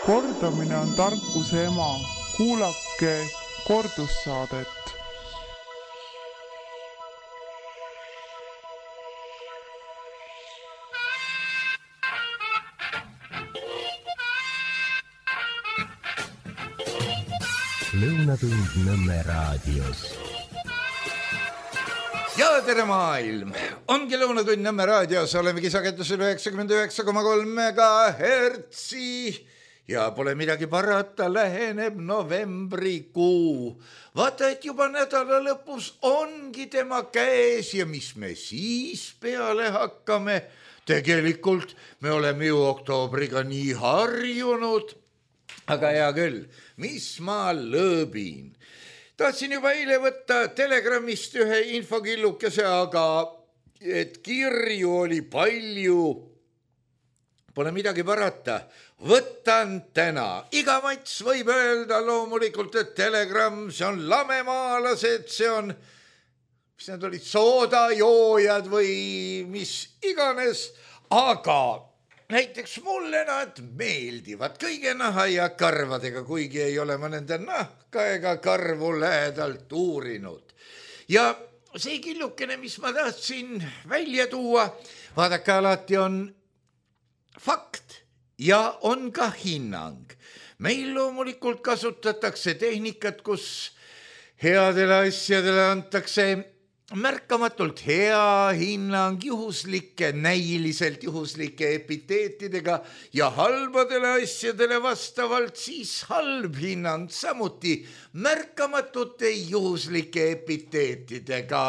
Kordamine on tarkuse ema. Kuulake kordussaadet. Lõunatund Nõmme raadios. Ja tere maailm! Ongi Lõunatund Nõmme raadios, olemegi sagedusel 99,3 MHz ja pole midagi parata, läheneb novembrikuu. Vaata, et juba nädala lõpus ongi tema käes ja mis me siis peale hakkame? Tegelikult me oleme ju oktoobriga nii harjunud. Aga hea küll, mis ma lõõbin. Tahtsin juba eile võtta Telegramist ühe infokillukese, aga et kirju oli palju. Pole midagi parata. Võtan täna. Iga mats võib öelda loomulikult, et Telegram, see on lamemaalased, see on, mis need olid, soodajoojad või mis iganes, aga näiteks mulle nad meeldivad kõige naha ja karvadega, kuigi ei ole ma nende nahka ega karvu lähedalt uurinud. Ja see killukene, mis ma tahtsin välja tuua, vaadake, alati on fakt ja on ka hinnang. Meil loomulikult kasutatakse tehnikat, kus headele asjadele antakse märkamatult hea hinnang juhuslike, näiliselt juhuslike epiteetidega ja halbadele asjadele vastavalt siis halb hinnang samuti märkamatute juhuslike epiteetidega,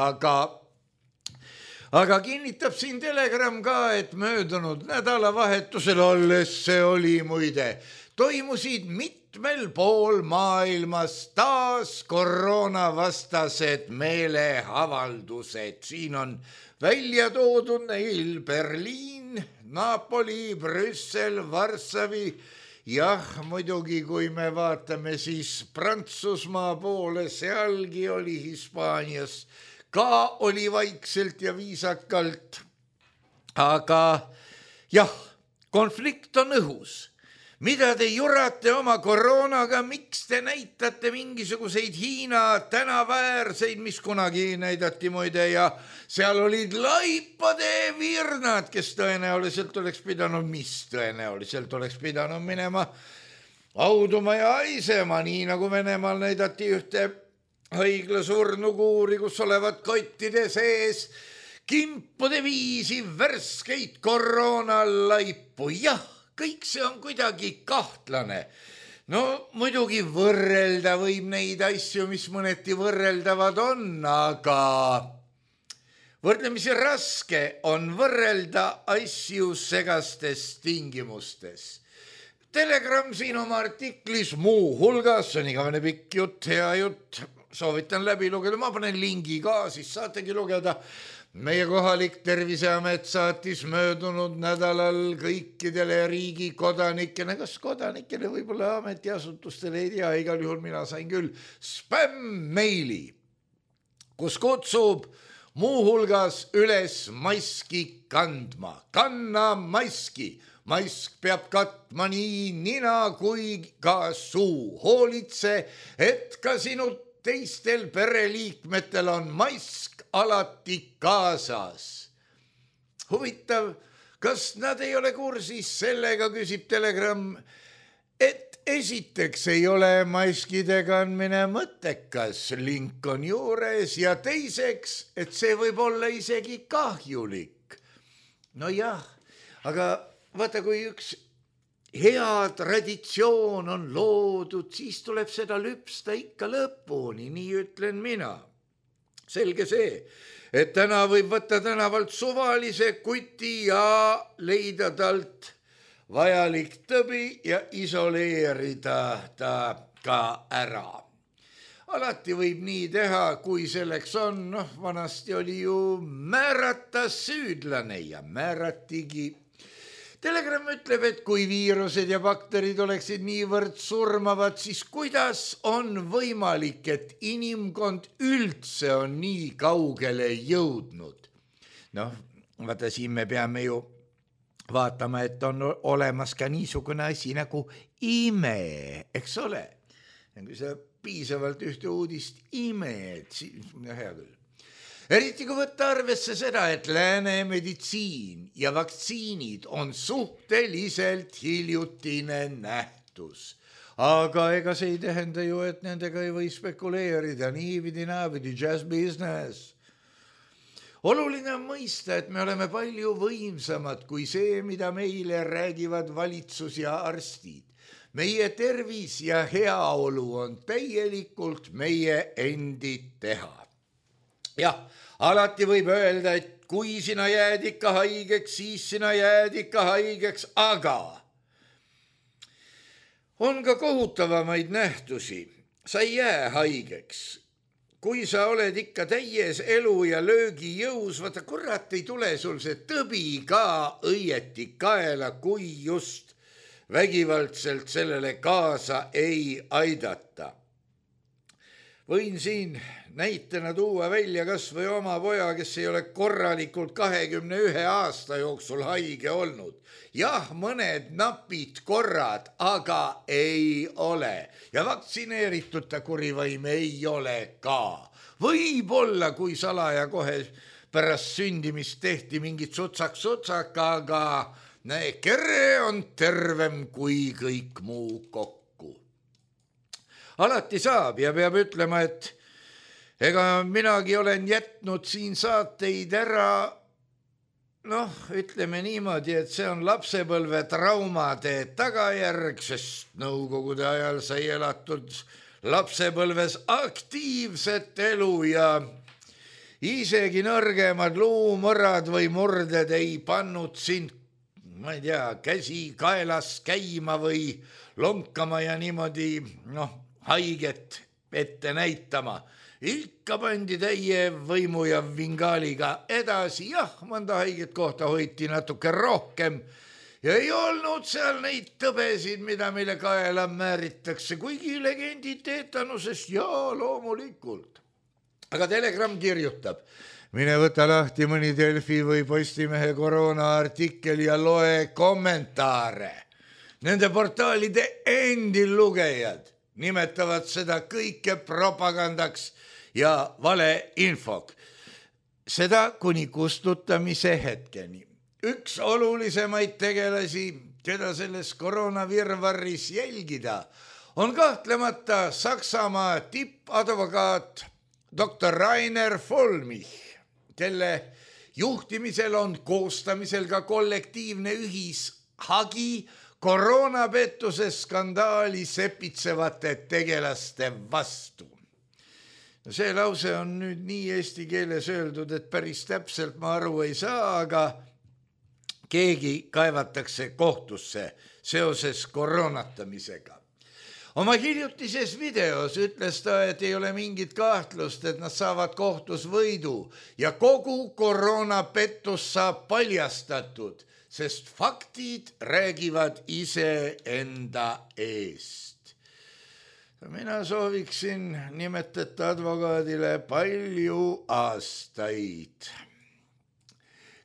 aga kinnitab siin Telegram ka, et möödunud nädalavahetusel alles see oli muide, toimusid mitmel pool maailmas taas koroonavastased meeleavaldused. Siin on välja toodud neil Berliin, Napoli, Brüssel, Varssavi. Jah, muidugi, kui me vaatame siis Prantsusmaa poole, sealgi oli Hispaanias, ka oli vaikselt ja viisakalt. Aga jah, konflikt on õhus. Mida te jurate oma koroonaga, miks te näitate mingisuguseid Hiina tänaväärseid, mis kunagi näidati muide ja seal olid laipade virnad, kes tõenäoliselt oleks pidanud minema auduma ja haisema, nii nagu Venemaal näidati ühte haiglasurnukuuri, kus olevat kottide sees kimpude viisi värskeid koroonalaipu. Jah, kõik see on kuidagi kahtlane. No muidugi võrrelda võib neid asju, mis mõneti võrreldavad on, aga võrdlemisi raske on võrrelda asju segastes tingimustes. Telegram siin oma artiklis muu hulgas, see on igavene pikk jutt, hea jutt, soovitan läbi lugeda, ma panen lingi ka, siis saategi lugeda. Meie kohalik Terviseamet saatis möödunud nädalal kõikidele riigi kodanikele, kas kodanikele, võib-olla ametiasutustele, ei tea, igal juhul mina sain küll spämm-meili, kus kutsub muu hulgas üles maski kandma. Kanna maski. Mask peab katma nii nina kui ka suu. Hoolitse, et ka sinu teistel pereliikmetel on mask alati kaasas. Huvitav, kas nad ei ole kursis sellega, küsib Telegram, et esiteks ei ole maskide kandmine mõttekas, link on juures, ja teiseks, et see võib olla isegi kahjulik. No jah, aga vaata, kui üks hea traditsioon on loodud, siis tuleb seda lüpsta ikka lõpuni, nii ütlen mina. Selge see, et täna võib võtta tänavalt suvalise kuti ja leida talt vajalik tõbi ja isoleerida ta ka ära. Alati võib nii teha, kui selleks on, vanasti oli ju määrata süüdlane ja määratigi. Telegram ütleb, et kui viirused ja bakterid oleksid niivõrd surmavad, siis kuidas on võimalik, et inimkond üldse on nii kaugele jõudnud? Vaata, siin me peame ju vaatama, et on olemas ka niisugune asi nagu ime, eks ole. Ja kui sa piisavalt ühte uudist imed, siis hea küll. Eriti kui võtta arvesse seda, et lääne meditsiin ja vaktsiinid on suhteliselt hiljutine nähtus. Aga ega see ei tähenda ju, et nendega ei või spekuleerida, niipidi, just business. Oluline on mõista, et me oleme palju võimsamad kui see, mida meile räägivad valitsus ja arstid. Meie tervis ja heaolu on täielikult meie endi teha. Jah, alati võib öelda, et kui sina jääd ikka haigeks, siis sina jääd ikka haigeks, aga on ka kohutavamaid nähtusi. Sa ei jää haigeks. Kui sa oled ikka täies elu ja löögi jõus, vaata kurat ei tule sul see tõbi ka õieti kaela, kui just vägivaldselt sellele kaasa ei aidata. Võin siin näitena tuua välja kas või oma poja, kes ei ole korralikult 21 aasta jooksul haige olnud. Jah, mõned napid korrad, aga ei ole. Ja vaktsineeritud ta kurivaim ei ole ka. Võib-olla, kui salaja kohe pärast sündimist tehti mingit sutsak, aga kere on tervem kui kõik muu kokku. Alati saab ja peab ütlema, et ega minagi olen jätnud siin saateid ära, ütleme niimoodi, et see on lapsepõlve traumade tagajärg, sest nõukogude ajal sai elatud lapsepõlves aktiivset elu ja isegi nõrgemad luumõrad või murded ei pannud sind, ma ei tea, käsi kaelas käima või lonkama ja niimoodi, haiget ette näitama. Ikka pandi täie võimu ja vingaaliga edasi, jah, mõnda haiget kohta hoiti natuke rohkem ja ei olnud seal neid tõbesid, mida meile kaela määritakse, kuigi legendid teetanusest, jaa, loomulikult. Aga Telegram kirjutab, mine võta lahti mõni Delfi või Postimehe koroonaartikkel ja loe kommentaare. Nende portaalide endi lugejad nimetavad seda kõike propagandaks ja valeinfok. Seda kuni kustutamise hetkeni. Üks olulisemaid tegelasi, keda selles koroonavirvarris jälgida, on kahtlemata Saksamaa tippadvokaat Dr. Rainer Vollmich, kelle juhtimisel on koostamisel ka kollektiivne ühishagi koroonapettuse skandaali sepitsevate tegelaste vastu. See lause on nüüd nii eesti keeles öeldud, et päris täpselt ma aru ei saa, aga keegi kaevatakse kohtusse seoses koroonatamisega. Oma hiljutises videos ütles ta, et ei ole mingit kahtlust, et nad saavad kohtus võidu ja kogu koroonapettus saab paljastatud, sest faktid räägivad iseenda eest. Mina sooviksin nimetata advokaadile palju aastaid.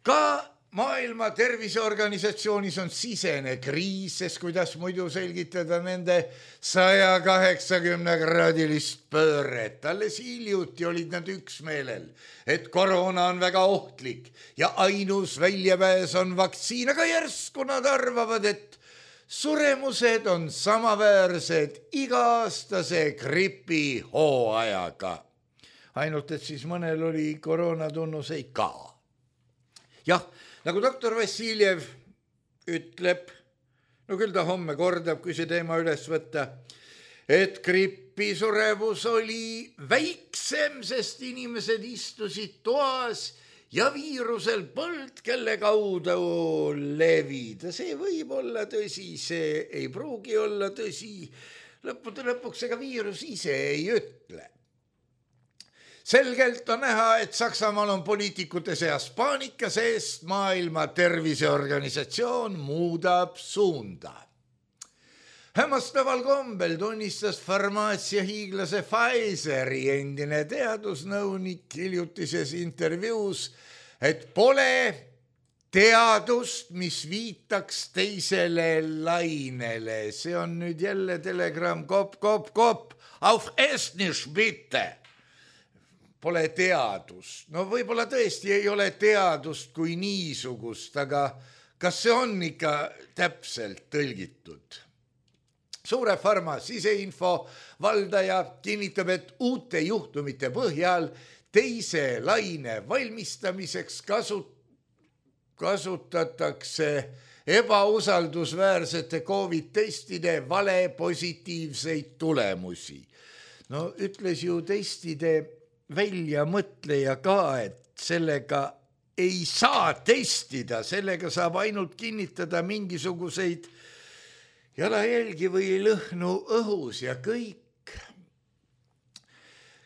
Ka Maailma Terviseorganisatsioonis on sisene kriis, sest kuidas muidu selgitada nende 180-kraadilist pööret. Alles hiljuti olid nad üksmeelel, et koroona on väga ohtlik ja ainus väljapääs on vaktsiin, aga järsku nad arvavad, et suremused on samaväärsed iga-aastase gripi hooajaga. Ainult, et siis mõnel oli koroonatunnuseid ka. Jah, nagu doktor Vassiljev ütleb, küll ta homme kordab, kui see teema üles võtta, et gripisurevus oli väiksem, sest inimesed istusid toas ja viirusel polnud, kelle kaudu levida. See võib olla tõsi, see ei pruugi olla tõsi. Lõppude lõpuks ega viirus ise ei ütle. Selgelt on näha, et Saksamaal on poliitikute seas paanika, sest Maailma Terviseorganisatsioon muudab suunda. Hämmastaval kombel tunnistas farmaatsiahiiglase Pfizeri endine teadusnõunik hiljutises intervjuus, et pole teadust, mis viitaks teisele lainele. See on nüüd jälle telegramm kopp. Auf Estnisch bitte. Pole teadust. No võib-olla tõesti ei ole teadust kui niisugust, aga kas see on ikka täpselt tõlgitud? Suure Pharma siseinfo valdaja kinnitab, et uute juhtumite põhjal teise laine valmistamiseks kasutatakse ebausaldusväärsete COVID-testide vale positiivseid tulemusi. No ütles ju testide väljamõtleja ka, et sellega ei saa testida, sellega saab ainult kinnitada mingisuguseid jalajälgi või lõhnu õhus ja kõik.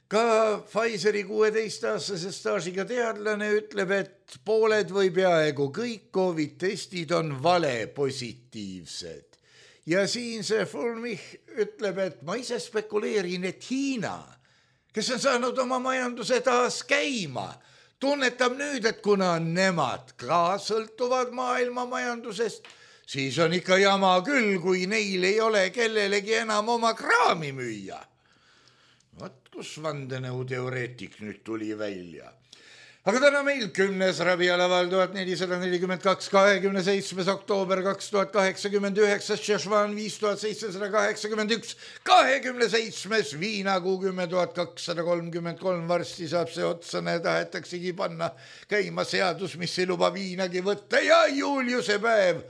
Ka Pfizeri 16-aastase staažiga teadlane ütleb, et pooled või peaaegu kõik COVID-testid on vale positiivsed. Ja siin see Fulmich ütleb, et ma ise spekuleerin, et Hiina, kes on saanud oma majanduse taas käima, tunnetab nüüd, et kuna nemad ka sõltuvad maailma majandusest, siis on ikka jama küll, kui neil ei ole kellelegi enam oma kraami müüa. Vaat kus vandenõuteoreetik nüüd tuli välja. Aga täna meil 10. rabialaval 1442, 27. oktoober 2089, Šešvan 5781, 27. viinakuu 10,233, varsti saab see otsa, tahetaksegi panna käima seadus, mis ei luba viinagi võtta ja Juliuse päev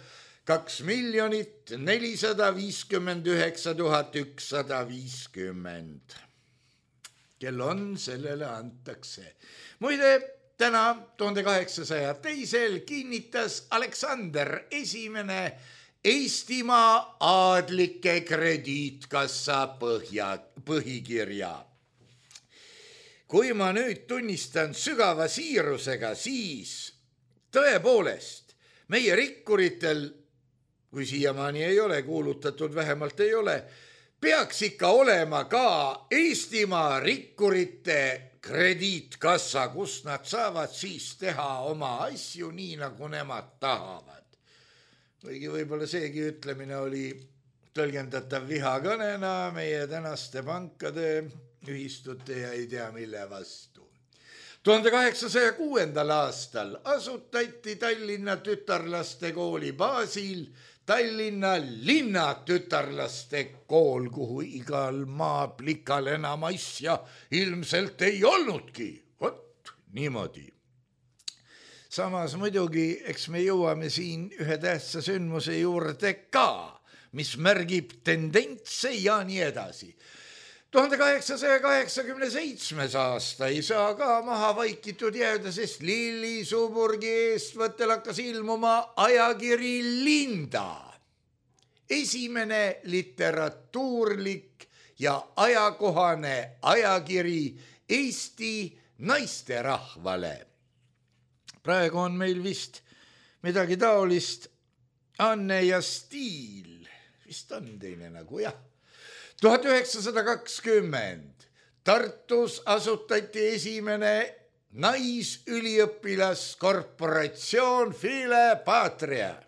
2 459 150. Kel on, sellele antakse. Muide, täna 1802 kinnitas Aleksander I Eestimaa aadlike krediitkassa põhikirja. Kui ma nüüd tunnistan sügava siirusega, siis tõepoolest meie rikkuritel, kui siiamaani ei ole kuulutatud, vähemalt ei ole, peaks ikka olema ka Eestimaa rikkurite krediitkassa, kus nad saavad siis teha oma asju nii, nagu nemad tahavad. Võigi võib-olla seegi ütlemine oli tõlgendatav vihakõnena meie tänaste pankade, ühistute ja ei tea mille vastu. 1806. aastal asutati Tallinna tütarlaste kooli baasil Tallinna linnatütarlaste kool, kuhu igal maaplikal enam asja ilmselt ei olnudki. Vot niimoodi. Samas muidugi, eks me jõuame siin ühe tähtsa sündmuse juurde ka, mis märgib tendentse ja nii edasi. 1887. aasta ei saa ka maha vaikitud jääda, sest Lilli Suburgi eestvõttel hakkas ilmuma ajakiri Linda. Esimene literatuurlik ja ajakohane ajakiri Eesti naisterahvale. Praegu on meil vist midagi taolist Anne ja Stiil. Vist on teine nagu, jah. 1920 Tartus asutati esimene naisüliõpilaskorporatsioon File Patria.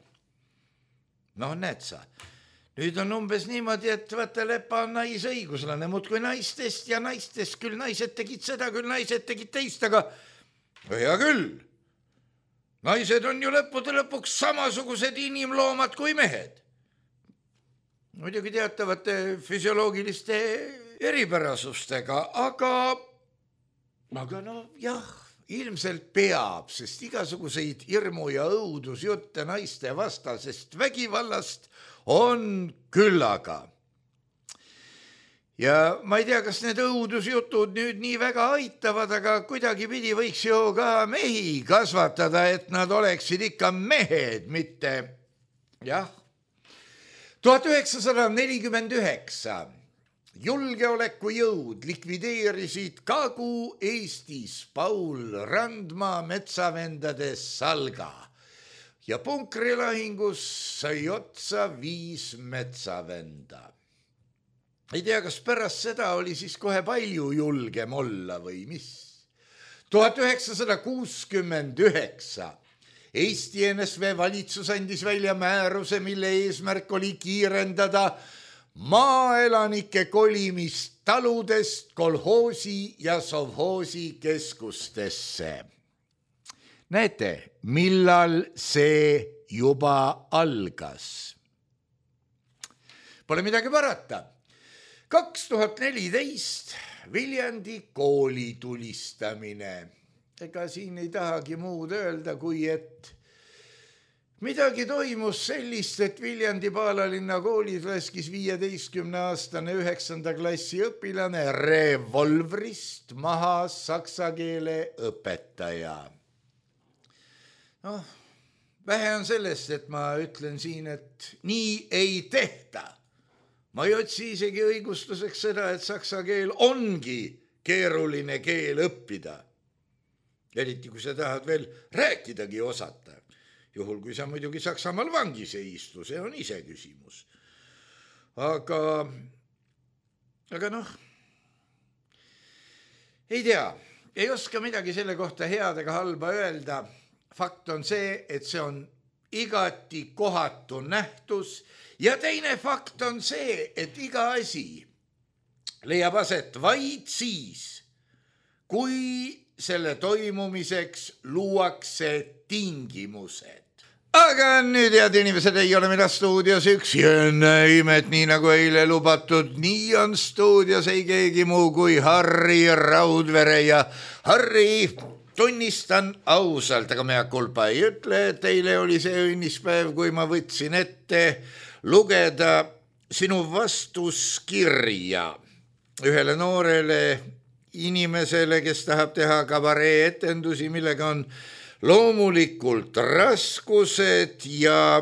No näed sa, nüüd on umbes niimoodi, et vaata Lepa on naisõiguslane, muudkui naistest ja naistest, küll naised tegid seda, küll naised tegid teist, aga hea küll. Naised on ju lõppude lõpuks samasugused inimloomad kui mehed. Muidugi teatavate füsioloogiliste eripärasustega, aga no jah, ilmselt peab, sest igasuguseid hirmu ja õudusjutte naiste vastasest vägivallast on küllaga. Ja ma ei tea, kas need õudusjutud nüüd nii väga aitavad, aga kuidagi pidi võiks ju ka mehi kasvatada, et nad oleksid ikka mehed, mitte jah. 1949 julgeolekujõud likvideerisid Kagu-Eestis Paul Randma metsavendade salga ja punkrilahingus sai otsa 5 metsavenda. Ei tea, kas pärast seda oli siis kohe palju julgem olla või mis. 1969 Eesti NSV valitsus andis välja määruse, mille eesmärk oli kiirendada maaelanike kolimist taludest kolhoosi ja sovhoosi keskustesse. Näete, millal see juba algas? Pole midagi parata. 2014 Viljandi kooli tulistamine. Ega siin ei tahagi muud öelda, kui et midagi toimus sellist, et Viljandi Paalalinna koolis laskis 15-aastane 9. klassi õpilane revolvrist maha saksa keele õpetaja. Noh, vähe on sellest, et ma ütlen siin, et nii ei tehta. Ma ei otsi isegi õigustuseks seda, et saksa keel ongi keeruline keel õppida. Eriti, kui sa tahad veel rääkidagi osata. Juhul, kui sa muidugi Saksamaal vangis ei istu, see on ise küsimus. Aga noh, ei tea, ei oska midagi selle kohta head ega halba öelda. Fakt on see, et see on igati kohatu nähtus ja teine fakt on see, et iga asi leiab aset vaid siis, kui selle toimumiseks luuakse tingimused. Aga nüüd, head inimesed, ei ole mina stuudios üks imet, nii nagu eile lubatud. Nii on stuudios ei keegi muu kui Harri Raudvere ja Harri, tunnistan ausalt, aga mea kulpa ei ütle, et teile oli see õnnispäev, kui ma võtsin ette lugeda sinu vastuskirja ühele noorele inimesele, kes tahab teha kabaree etendusi, millega on loomulikult raskused ja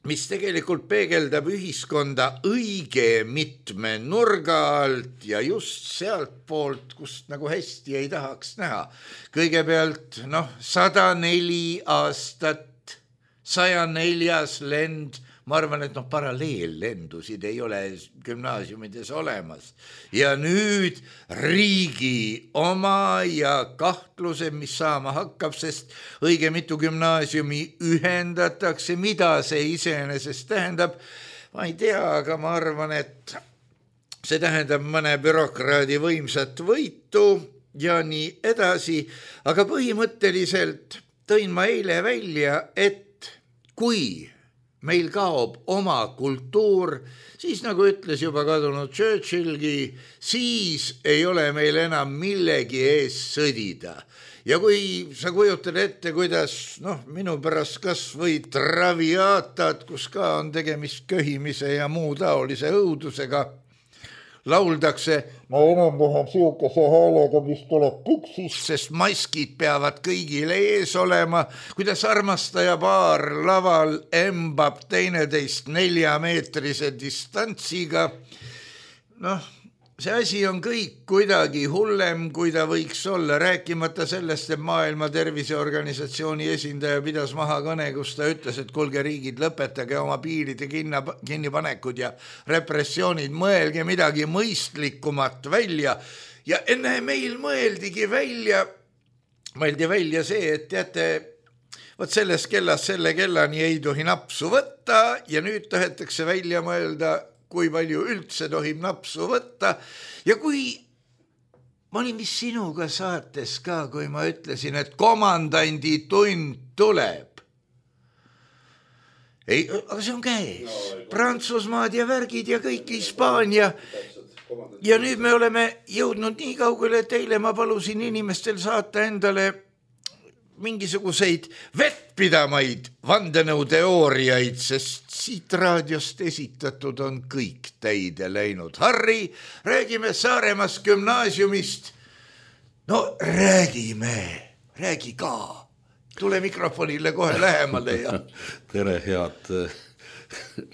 mis tegelikult peegeldab ühiskonda õige mitme nurga alt ja just sealt poolt, kust nagu hästi ei tahaks näha. Kõigepealt 104 aastat, 104. lend, ma arvan, et paralleellendusid ei ole gümnaasiumides olemas. Ja nüüd riigi oma ja kahtluse, mis saama hakkab, sest õige mitu gümnaasiumi ühendatakse, mida see iseenesest tähendab. Ma ei tea, aga ma arvan, et see tähendab mõne bürokraadi võimsat võitu ja nii edasi. Aga põhimõtteliselt tõin ma eile välja, et kui meil kaob oma kultuur, siis nagu ütles juba kadunud Churchillgi, siis ei ole meil enam millegi ees sõdida. Ja kui sa kujutad ette, kuidas minu pärast kas või traviaatad, kus ka on tegemist köhimise ja muu taolise õudusega, lauldakse, ma enam-vähem siukese häälega, mis tuleb püksis, sest maskid peavad kõigile ees olema, kuidas armastaja paar laval embab teineteist 4-meetrise distantsiga. See asi on kõik kuidagi hullem, kui ta võiks olla, rääkimata sellest, et Maailma Terviseorganisatsiooni esindaja pidas maha kõne, kus ta ütles, et kuulge riigid, lõpetage oma piiride kinnipanekud ja repressioonid, mõelge midagi mõistlikumat välja. Ja enne meil mõeldi välja see, et teate, võt sellest kellast selle kellani ei tohi napsu võtta ja nüüd tahetakse välja mõelda, kui palju üldse tohib napsu võtta. Ja kui ma olin vist sinuga saates ka, kui ma ütlesin, et komandandi tund tuleb. Ei, aga see on käes. Prantsusmaad ja värgid ja kõik Hispaania. Ja nüüd me oleme jõudnud nii kaugele, et eile ma palusin inimestel saata endale mingisuguseid vettpidamaid vandenõuteooriaid, sest siit raadiost esitatud on kõik täide läinud. Harri, räägime Saaremaast gümnaasiumist. Räägi ka. Tule mikrofonile kohe lähemale. Ja... Tere, head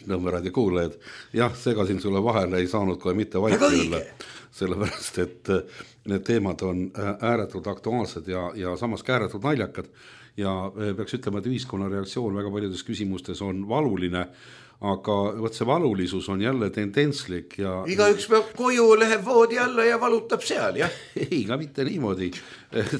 Nõmmeraadio kuulajad. Jah, segasin sulle vahele, ei saanud kohe mitte vaikile, sellepärast, et need teemad on ääretult aktuaalsed ja samas ka ääretult naljakad ja peaks ütlema, et ühiskonna reaktsioon väga paljudes küsimustes on valuline, aga võt see valulisus on jälle tendentslik ja igaüks peab koju, läheb voodi alla ja valutab seal, jah. Ei, ka mitte niimoodi.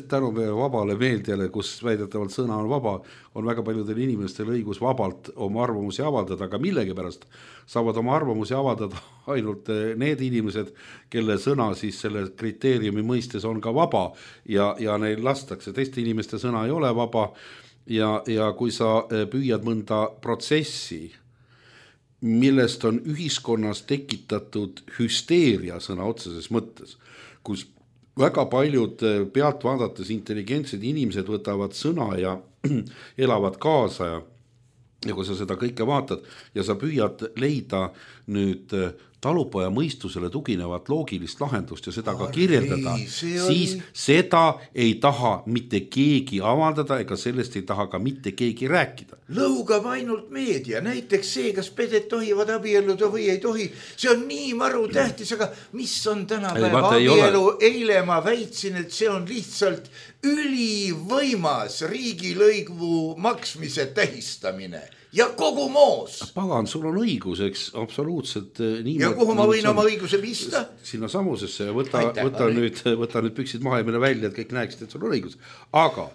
Tänu meie vabale meediale, kus väidetavalt sõna on vaba, on väga paljudel inimestel õigus vabalt oma arvamusi avaldada, aga millegipärast saavad oma arvamusi avaldada ainult need inimesed, kelle sõna siis selle kriteeriumi mõistes on ka vaba ja neil lastakse. Teiste inimeste sõna ei ole vaba ja kui sa püüad mõnda protsessi, millest on ühiskonnas tekitatud hüsteeria sõna otseses mõttes, kus väga paljud pealt vaadates intelligentsed inimesed võtavad sõna ja elavad kaasa ja kui sa seda kõike vaatad ja sa püüad leida nüüd talupoja mõistusele tuginevat loogilist lahendust ja seda ka kirjeldada, siis seda ei taha mitte keegi avaldada ega sellest ei taha ka mitte keegi rääkida. Lõugab ainult meedia, näiteks see, kas peded tohivad abielluda või ei tohi, see on nii maru tähtis, aga mis on tänapäeva abielu? Eile ma väitsin, et see on lihtsalt ülivõimas riigilõivu maksmise tähistamine ja kogu moos. Pagan, sul on õigus, eks, absoluutselt nii. Ja kuhu ma võin oma õiguse pista? Sinna samusesse ja võta nüüd püksid maha ja mine välja, et kõik näeksid, et sul on õigus. Aga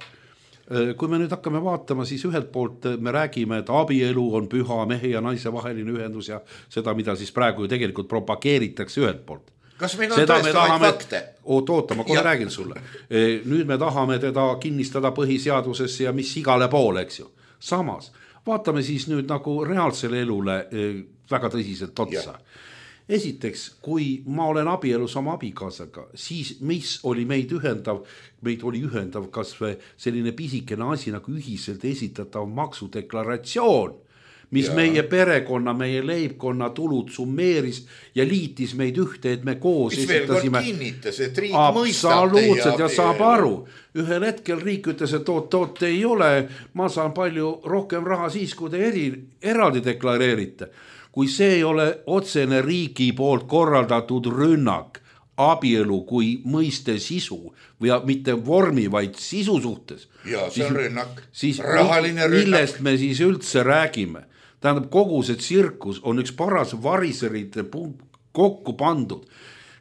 kui me nüüd hakkame vaatama, siis ühelt poolt me räägime, et abielu on püha mehe ja naise vaheline ühendus ja seda, mida siis praegu ju tegelikult propageeritakse ühelt poolt. Kas meil on tõestavaid fakte? Oota, ma kohe räägin sulle. Nüüd me tahame teda kinnistada põhiseadusesse ja mis igale poole, eks ju. Samas, vaatame siis nüüd nagu reaalsele elule väga tõsiselt otsa. Esiteks, kui ma olen abielus oma abikaasaga, siis mis oli meid oli ühendav kas või selline pisikene asi nagu ühiselt esitatav maksudeklaratsioon, mis meie perekonna, meie leibkonna tulud summeeris ja liitis meid ühte, et me koos mis esitasime. Mis veel kord kinnitas, et riik mõistab absoluutselt ja saab aru. Ühel hetkel riik ütles, et oot ei ole, ma saan palju rohkem raha siis, kui te eraldi deklareerite. Kui see ei ole otsene riigi poolt korraldatud rünnak abielu kui mõiste sisu või mitte vormi, vaid sisu suhtes. Ja see on rünnak, rahaline rünnak. Millest me siis üldse räägime? Tähendab, kogu see tsirkus on üks paras variserite kokku pandud,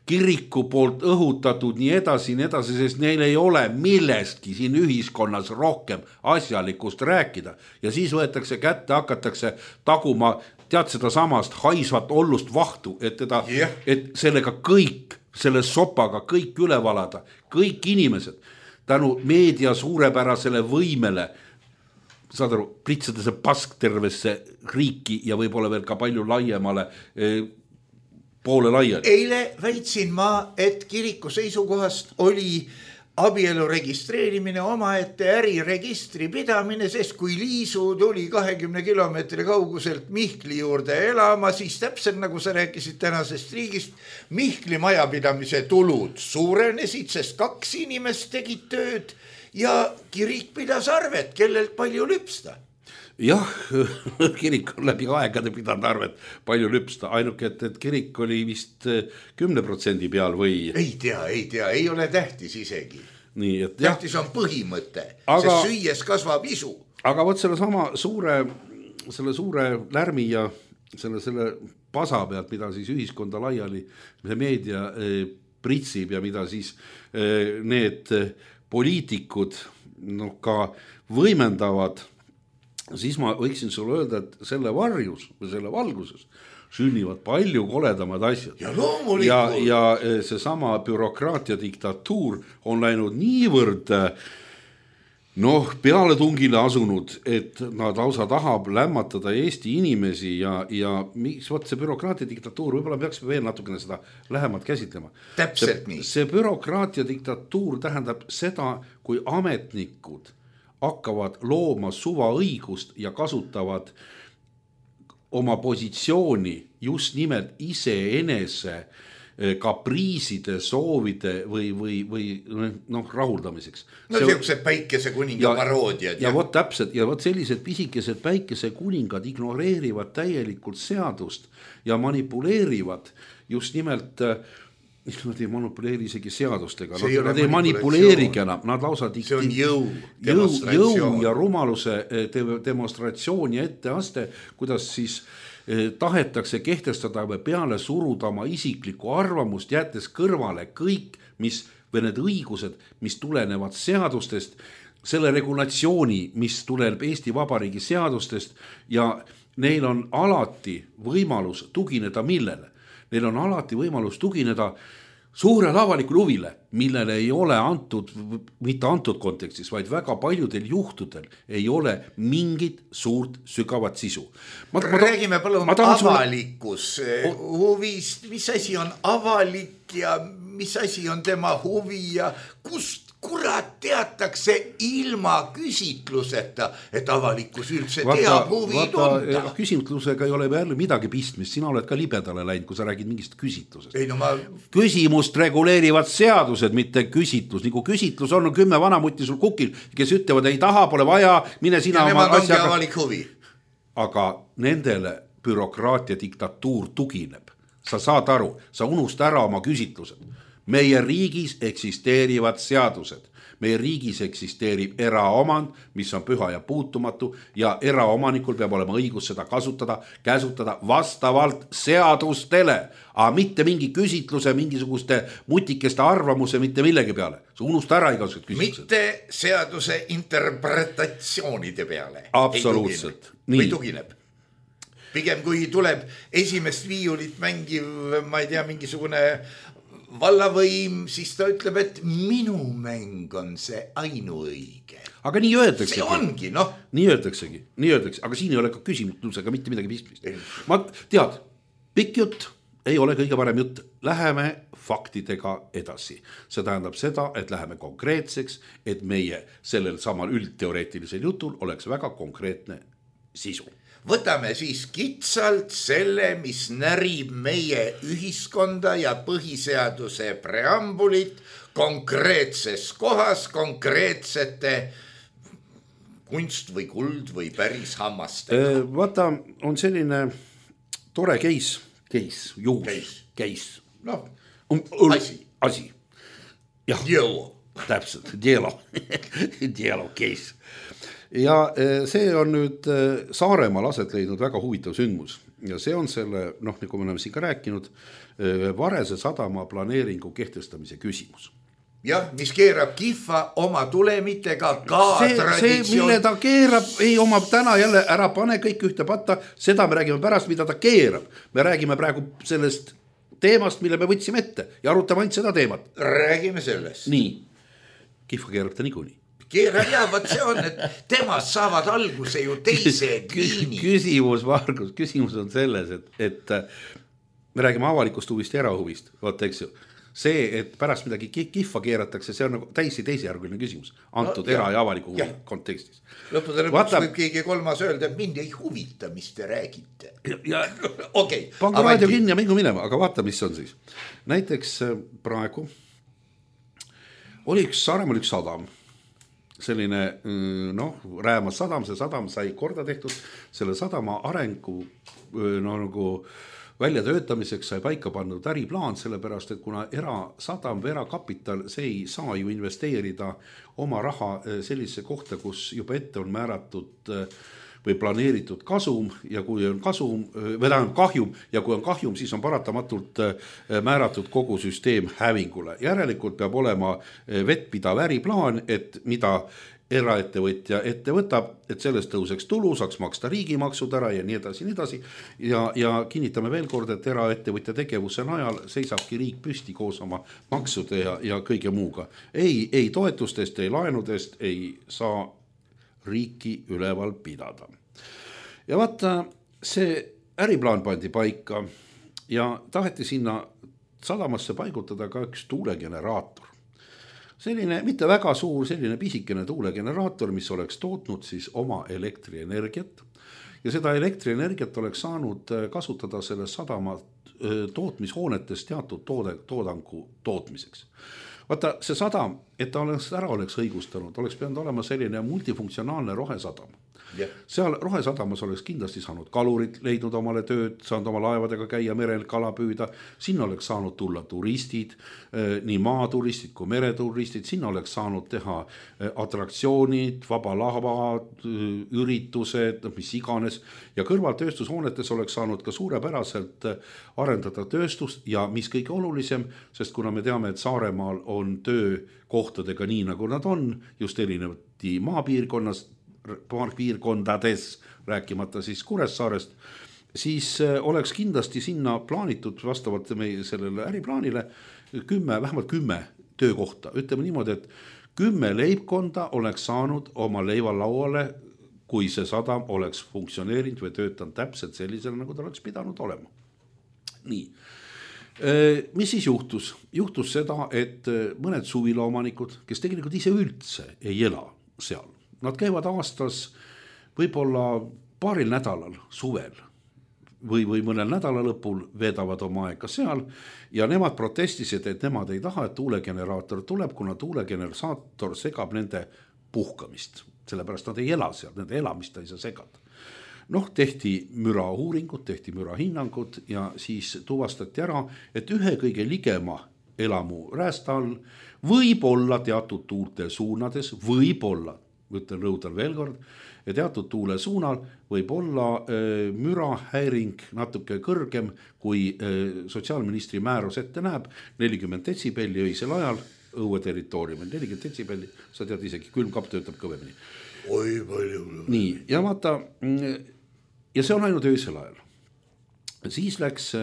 kiriku poolt õhutatud nii edasi, sest neil ei ole millestki siin ühiskonnas rohkem asjalikust rääkida. Ja siis võetakse kätte, hakatakse taguma, tead seda samast haisvat ollust vahtu, et sellega kõik, selle sopaga kõik üle valada, kõik inimesed tänu meedia suurepärasele võimele, saad aru, pritsada see pask tervesse riiki ja võib-olla veel ka palju laiemale poole laiali. Eile väitsin ma, et kiriku seisukohast oli abielu registreerimine omaette äriregistri pidamine, sest kui Liisu tuli 20 kilomeetri kauguselt Mihkli juurde elama, siis täpselt nagu sa rääkisid tänasest riigist, Mihkli majapidamise tulud suurenesid, sest 2 inimest tegid tööd ja kirik pidas arvet, kellelt palju lüpsta. Jah, kirik on läbi aegade pidanud arvet palju lüpsta, ainuke, et kirik oli vist 10% peal või? Ei tea, ei ole tähtis isegi. Nii, et tähtis on põhimõte, sest süües kasvab isu. Aga võt selle suure lärmi ja selle pasa pealt, mida siis ühiskonda laiali meedia pritsib ja mida siis need poliitikud ka võimendavad, siis ma võiksin sulle öelda, et selle varjus või selle valguses sünnivad palju koledamad asjad. Ja loomulikult. Ja see sama bürokraatia diktatuur on läinud niivõrd pealetungile asunud, et nad lausa tahab lämmatada Eesti inimesi ja mis see bürokraatia diktatuur, võib-olla peaksime veel natukene seda lähemalt käsitlema. Täpselt nii. See bürokraatia diktatuur tähendab seda, kui ametnikud hakkavad looma suvaõigust ja kasutavad oma positsiooni just nimelt iseenese kapriiside, soovide või rahuldamiseks. Sellised päikese kuninga paroodiad. Ja vot täpselt, ja vot sellised pisikesed päikese kuningad ignoreerivad täielikult seadust ja manipuleerivad just nimelt nad ei manipuleeri isegi seadustega, nad ei manipuleerigi enam, nad lausa see on jõu ja rumaluse demonstratsioon ja etteaste, kuidas siis tahetakse kehtestada või peale suruda oma isiklikku arvamust, jättes kõrvale kõik, või need õigused, mis tulenevad seadustest, selle regulatsiooni, mis tuleneb Eesti Vabariigi seadustest ja neil on alati võimalus tugineda millele? Neil on alati võimalus tugineda suurele avalikule huvile, millele ei ole mitte antud kontekstis, vaid väga paljudel juhtudel ei ole mingit suurt sügavat sisu. Räägime palun avalikus huvist, mis asi on avalik ja mis asi on tema huvi ja kust kurat teatakse ilma küsitluseta, et avalikkus üldse teab huvi tunda. Küsitlusega ei ole jälle midagi pistmist, sina oled ka libedale läinud, kui sa räägid mingist küsitlusest. Küsimust reguleerivad seadused, mitte küsitlus. Nagu küsitlus on 10 vanamutti sul kukil, kes ütlevad, ei taha, pole vaja, mine sina ja oma asjaga. Avalik huvi. Aga nendele bürokraatia diktatuur tugineb. Sa saad aru, sa unusta ära oma küsitlused. Meie riigis eksisteerivad seadused. Meie riigis eksisteerib eraomand, mis on püha ja puutumatu ja eraomanikul peab olema õigus seda käsutada vastavalt seadustele, aga mitte mingi küsitluse, mingisuguste mutikeste arvamuse, mitte millegi peale. Sa unusta ära igasugused küsitlused. Mitte seaduse interpretatsioonide peale. Absoluutselt. Või tugineb. Pigem kui tuleb esimest viiulit mängiv, ma ei tea, mingisugune vallavõim, siis ta ütleb, et minu mäng on see ainuõige. Aga nii öeldaksegi. See ongi, noh. Nii öeldaksegi, aga siin ei ole ka küsimusega mitte midagi pistmist. Ma tead, pikk jutt ei ole kõige parem jutt. Läheme faktidega edasi. See tähendab seda, et läheme konkreetseks, et meie sellel samal üldteoreetilisel jutul oleks väga konkreetne sisu. Võtame siis kitsalt selle, mis närib meie ühiskonda ja põhiseaduse preambulit konkreetses kohas, konkreetsete kunst või kuld või päris hammastega. Vaata, on selline tore case. No, asi. Dielo. Täpselt, dielo case. Ja see on nüüd Saaremaal aset leidnud väga huvitav sündmus ja see on selle, nagu me oleme siin ka rääkinud, Varese sadama planeeringu kehtestamise küsimus. Jah, mis keerab kihva oma tulemitega ka traditsioon. See, mille ta keerab, ei oma täna jälle ära pane kõik ühte patta, seda me räägime pärast, mida ta keerab. Me räägime praegu sellest teemast, mille me võtsime ette ja arutame ainult seda teemat. Räägime sellest. Nii, kihva keerab ta niikuinii. Keerab ja võt see on, et temast saavad alguse ju teised liinid. Küsimus on selles, et me räägime avalikust huvist ja erahuvist. Vaata, eks ju, see, et pärast midagi kihva keeratakse, see on nagu teisejärguline küsimus. Antud era- ja avaliku huvi kontekstis. Lõppude lõpuks võib keegi kolmas öelda, et mind ei huvita, mis te räägite. Okay, pangu raadio kinni ja mingu minema, aga vaata, mis on siis. Näiteks praegu oli Saaremaal üks sadam. Selline, Räämas sadam, see sadam sai korda tehtud, selle sadama arengu nagu väljatöötamiseks sai paika pandud äriplaan, sellepärast, et kuna erasadam või erakapital, see ei saa ju investeerida oma raha sellise kohta, kus juba ette on määratud või planeeritud kasum ja kui on kahjum ja kui on kahjum, siis on paratamatult määratud kogu süsteem hävingule. Järelikult peab olema vettpidav äriplaan, et mida eraettevõtja ette võtab, et sellest tõuseks tulu, saaks maksta riigimaksud ära ja nii edasi. Ja kinnitame veel kord, et eraettevõtja tegevuse najal seisabki riik püsti koos oma maksude ja kõige muuga. Ei toetustest, ei laenudest ei saa riiki üleval pidada. Ja vaata, see äriplaan pandi paika ja taheti sinna sadamasse paigutada ka üks tuulegeneraator. Selline mitte väga suur, selline pisikene tuulegeneraator, mis oleks tootnud siis oma elektrienergiat ja seda elektrienergiat oleks saanud kasutada selle sadama tootmishoonetes teatud toodangu tootmiseks. Vaata, see sadam, et ta oleks õigustanud, oleks pidanud olema selline multifunktsionaalne rohesadam. seal Rohesadamas oleks kindlasti saanud kalurid leidnud omale tööd, saanud oma laevadega käia merel kala püüda, sinna oleks saanud tulla turistid, nii maaturistid kui mereturistid, sinna oleks saanud teha atraktsioonid, vabalahvad, üritused, mis iganes ja kõrval tööstushoonetes oleks saanud ka suurepäraselt arendada tööstust ja mis kõige olulisem, sest kuna me teame, et Saaremaal on töökohtadega nii nagu nad on, just erinevati maapiirkondades, rääkimata siis Kuressaarest, siis oleks kindlasti sinna plaanitud vastavalt meie sellele äriplaanile vähemalt 10 töökohta. Ütleme niimoodi, et 10 leibkonda oleks saanud oma leivalauale, kui see sadam oleks funktsioneerinud või töötanud täpselt sellisel, nagu ta oleks pidanud olema. Nii. Mis siis juhtus? Juhtus seda, et mõned suvilaomanikud, kes tegelikult ise üldse ei ela seal, nad käivad aastas võib-olla paaril nädalal suvel või mõnel nädalalõpul veedavad oma aega seal ja nemad protestisid, et nemad ei taha, et tuulegeneraator tuleb, kuna tuulegeneraator segab nende puhkamist, sellepärast nad ei ela seal, nende elamist ei saa segada. Tehti mürauuringud, tehti mürahinnangud ja siis tuvastati ära, et ühe kõige ligema elamu räästa all võib olla teatud tuulte suunades, võib-olla, võtan rõudan veel kord, ja teatud tuule suunal võib olla mürahäiring natuke kõrgem, kui sotsiaalministri määrus ette näeb, 40 detsibelli öisel ajal õue territooriumil, 40 detsibelli, sa tead isegi, külmkapp töötab kõvemini. Oi, palju. Nii, ja vaata, ja see on ainult öisel ajal. Siis läks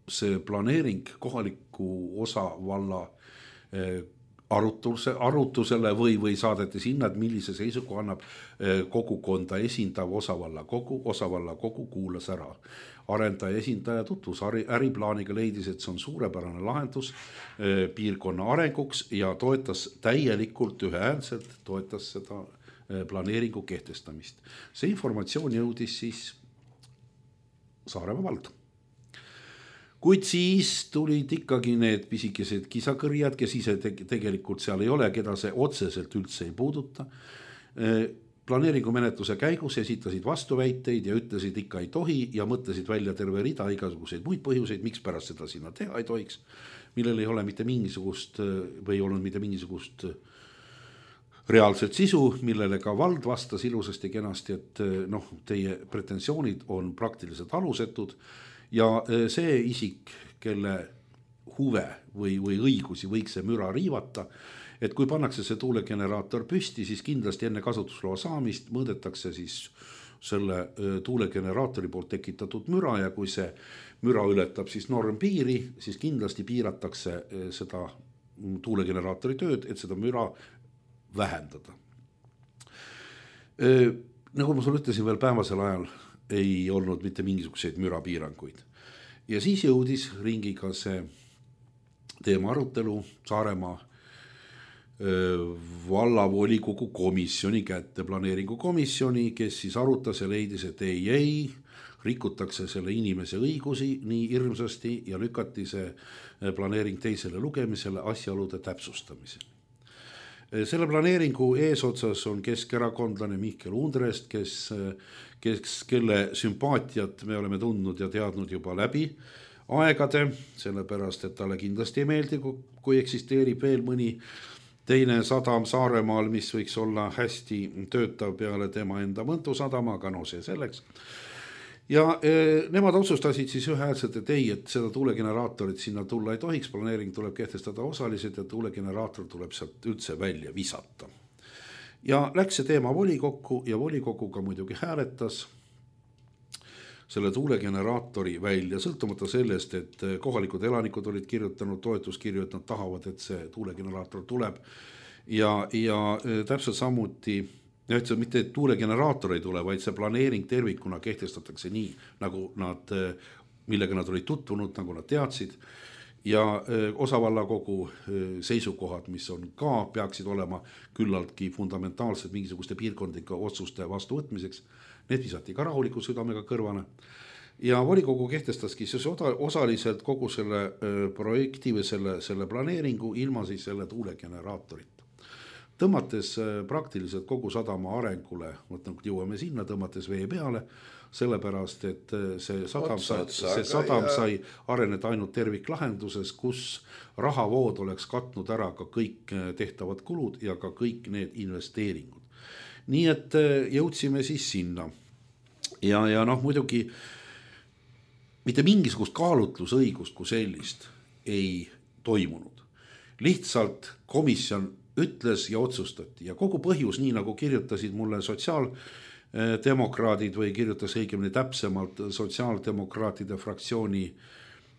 see planeering kohaliku osavalla arutusele või saadeti sinna, et millise seisukoha annab kogukonda esindav osavalla kogu kuulas ära. Arendaja esindaja tutvus äriplaaniga, leidis, et see on suurepärane lahendus piirkonna arenguks ja toetas täielikult ühehäälselt, toetas seda planeeringu kehtestamist. See informatsioon jõudis siis Saaremaa valda. Kuid siis tulid ikkagi need pisikesed kisakõrjad, kes ise tegelikult seal ei ole, keda see otseselt üldse ei puuduta. Planeeringu menetluse käigus esitasid vastuväiteid ja ütlesid ikka ei tohi ja mõtlesid välja terve rida igasuguseid muid põhjuseid, miks pärast seda sinna teha ei tohiks, millel ei ole mitte mingisugust või olnud mitte mingisugust reaalset sisu, millele ka vald vastas ilusasti kenasti, et teie pretensioonid on praktiliselt alusetud. Ja see isik, kelle huve või õigusi võiks see müra riivata, et kui pannakse see tuulegeneraator püsti, siis kindlasti enne kasutusloa saamist mõõdetakse siis selle tuulegeneraatori poolt tekitatud müra ja kui see müra ületab siis normpiiri, siis kindlasti piiratakse seda tuulegeneraatori tööd, et seda müra vähendada. Nagu ma sulle ütlesin veel päevasel ajal, ei olnud mitte mingisuguseid mürapiiranguid. Ja siis jõudis ringiga see teema arutelu Saaremaa vallavolikogu komisjoni kätte, planeeringukomisjoni, kes siis arutas ja leidis, et ei, rikutakse selle inimese õigusi nii hirmsasti ja lükati see planeering teisele lugemisele asjaolude täpsustamisele. Selle planeeringu eesotsas on keskerakondlane Mihkel Undrest, kelle sümpaatiat me oleme tundnud ja teadnud juba läbi aegade, sellepärast, et talle kindlasti ei meeldi, kui eksisteerib veel mõni teine sadam Saaremaal, mis võiks olla hästi töötav peale tema enda Mõntu sadama, aga see selleks. Ja nemad otsustasid siis ühehäälselt, et ei, et seda tuulegeneraatorit sinna tulla ei tohiks, planeering tuleb kehtestada osaliselt ja tuulegeneraator tuleb sealt üldse välja visata. Ja läks see teema volikokku ja volikoguga muidugi hääletas selle tuulegeneraatori välja, sõltumata sellest, et kohalikud elanikud olid kirjutanud toetuskirju, et nad tahavad, et see tuulegeneraator tuleb ja täpselt samuti et see mitte tuulegeneraator ei tule, vaid see planeering tervikuna kehtestatakse nii, nagu millega nad olid tutvunud, nagu nad teadsid ja osavallakogu seisukohad, mis on ka, peaksid olema küllaltki fundamentaalsed mingisuguste piirkondlike otsuste vastuvõtmiseks. Need visati ka rahuliku südamega kõrvane ja volikogu kehtestaski siis osaliselt kogu selle projekti või selle planeeringu ilma siis selle tuulegeneraatorita. tõmmates praktiliselt kogu sadama arengule, jõuame sinna, tõmmates vee peale, sellepärast, et see sadam sai areneda ainult terviklahenduses, kus rahavood oleks katnud ära ka kõik tehtavad kulud ja ka kõik need investeeringud. Nii et jõudsime siis sinna ja muidugi mitte mingisugust kaalutlusõigust kui sellist ei toimunud. Lihtsalt komisjon ütles ja otsustati ja kogu põhjus, nii nagu kirjutasid mulle sotsiaaldemokraadid või kirjutas õigemini täpsemalt sotsiaaldemokraatide fraktsiooni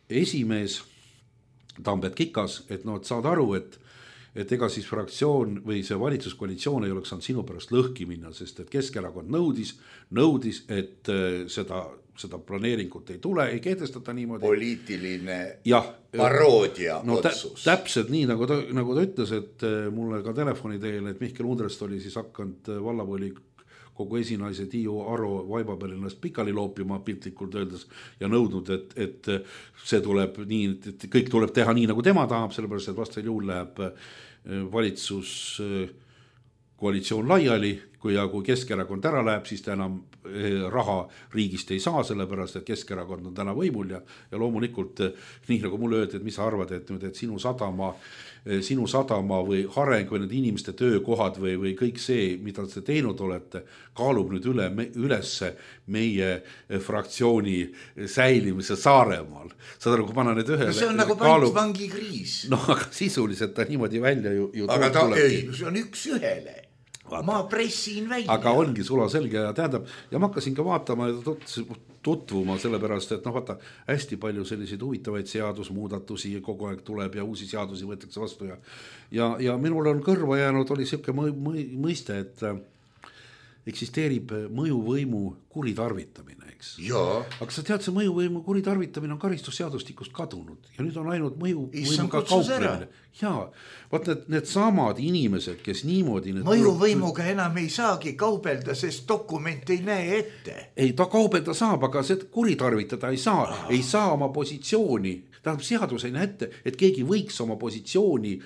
esimees Tambet Kikas, et saad aru, et ega siis fraktsioon või see valitsuskoalitsioon ei oleks saanud sinu pärast lõhki minna, sest et Keskerakond nõudis, et seda planeeringut ei tule, ei kehtestata niimoodi. Poliitiline paroodia otsus. Täpselt nii, nagu ta ütles, et mulle ka telefoni teel, et Mihkel Undrest oli siis hakanud vallavoli kogu esinaise Tiiu Aro vaiba peal ennast pikali loopima piltlikult öeldes ja nõudnud, et see tuleb nii, et kõik tuleb teha nii, nagu tema tahab, sellepärast, et vastasel juhul läheb valitsus koalitsioon laiali, kui Keskerakond ära läheb, siis ta enam raha riigist ei saa, sellepärast, et Keskerakond on täna võimul ja loomulikult nii nagu mulle öeldi, et mis sa arvad, et sinu sadama või areng või need inimeste töökohad või kõik see, mida te teinud olete, kaalub nüüd ülesse meie fraktsiooni säilimise Saaremaal. Saad aru, kui panna need ühele. See on nagu pantvangikriis. No aga sisuliselt ta niimoodi välja ju aga see on üks ühele. Ma pressin välja. Aga ongi sula selge ja tähendab, ja ma hakkasin ka vaatama ja tutvuma sellepärast, et vaata, hästi palju selliseid huvitavaid seadusmuudatusi kogu aeg tuleb ja uusi seadusi võetakse vastu ja minul on kõrva jäänud, oli selline mõiste, et eksisteerib mõjuvõimu kuritarvitamine, eks. Aga sa tead, see mõjuvõimu kuritarvitamine on karistusseadustikust kadunud ja nüüd on ainult mõjuvõimuga kauplemine. Jaa, vaat need samad inimesed, kes niimoodi... Mõjuvõimuga enam ei saagi kaubelda, sest dokument ei näe ette. Ei, ta kaubelda saab, aga see kuritarvitada ei saa oma positsiooni. Tähendab, seadus ei näe ette, et keegi võiks oma positsiooni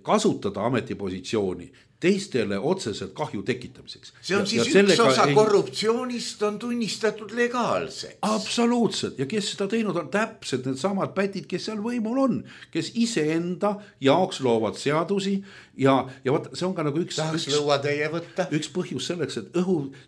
kasutada ametipositsiooni teistele otseselt kahju tekitamiseks. See on siis üks osa korruptsioonist on tunnistatud legaalseks. Absoluutselt. Ja kes seda teinud on täpselt need samad pätid, kes seal võimul on, kes iseenda jaoks loovad seadusi ja vaat, see on ka nagu üks põhjus selleks, et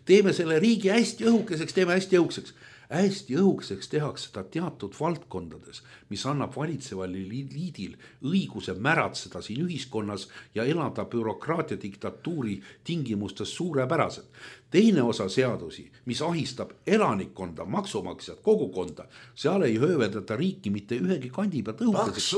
teeme selle riigi hästi õhukeseks, teeme hästi õhukseks. Hästi õhukseks tehakse seda teatud valdkondades, mis annab valitseval liidil õiguse märatseda siin ühiskonnas ja elada bürokraatia diktatuuri tingimustes suurepäraselt. Teine osa seadusi, mis ahistab elanikkonda, maksumaksjad, kogukonda, seal ei hööveldata riiki mitte ühegi kandi pealt õhukeseks,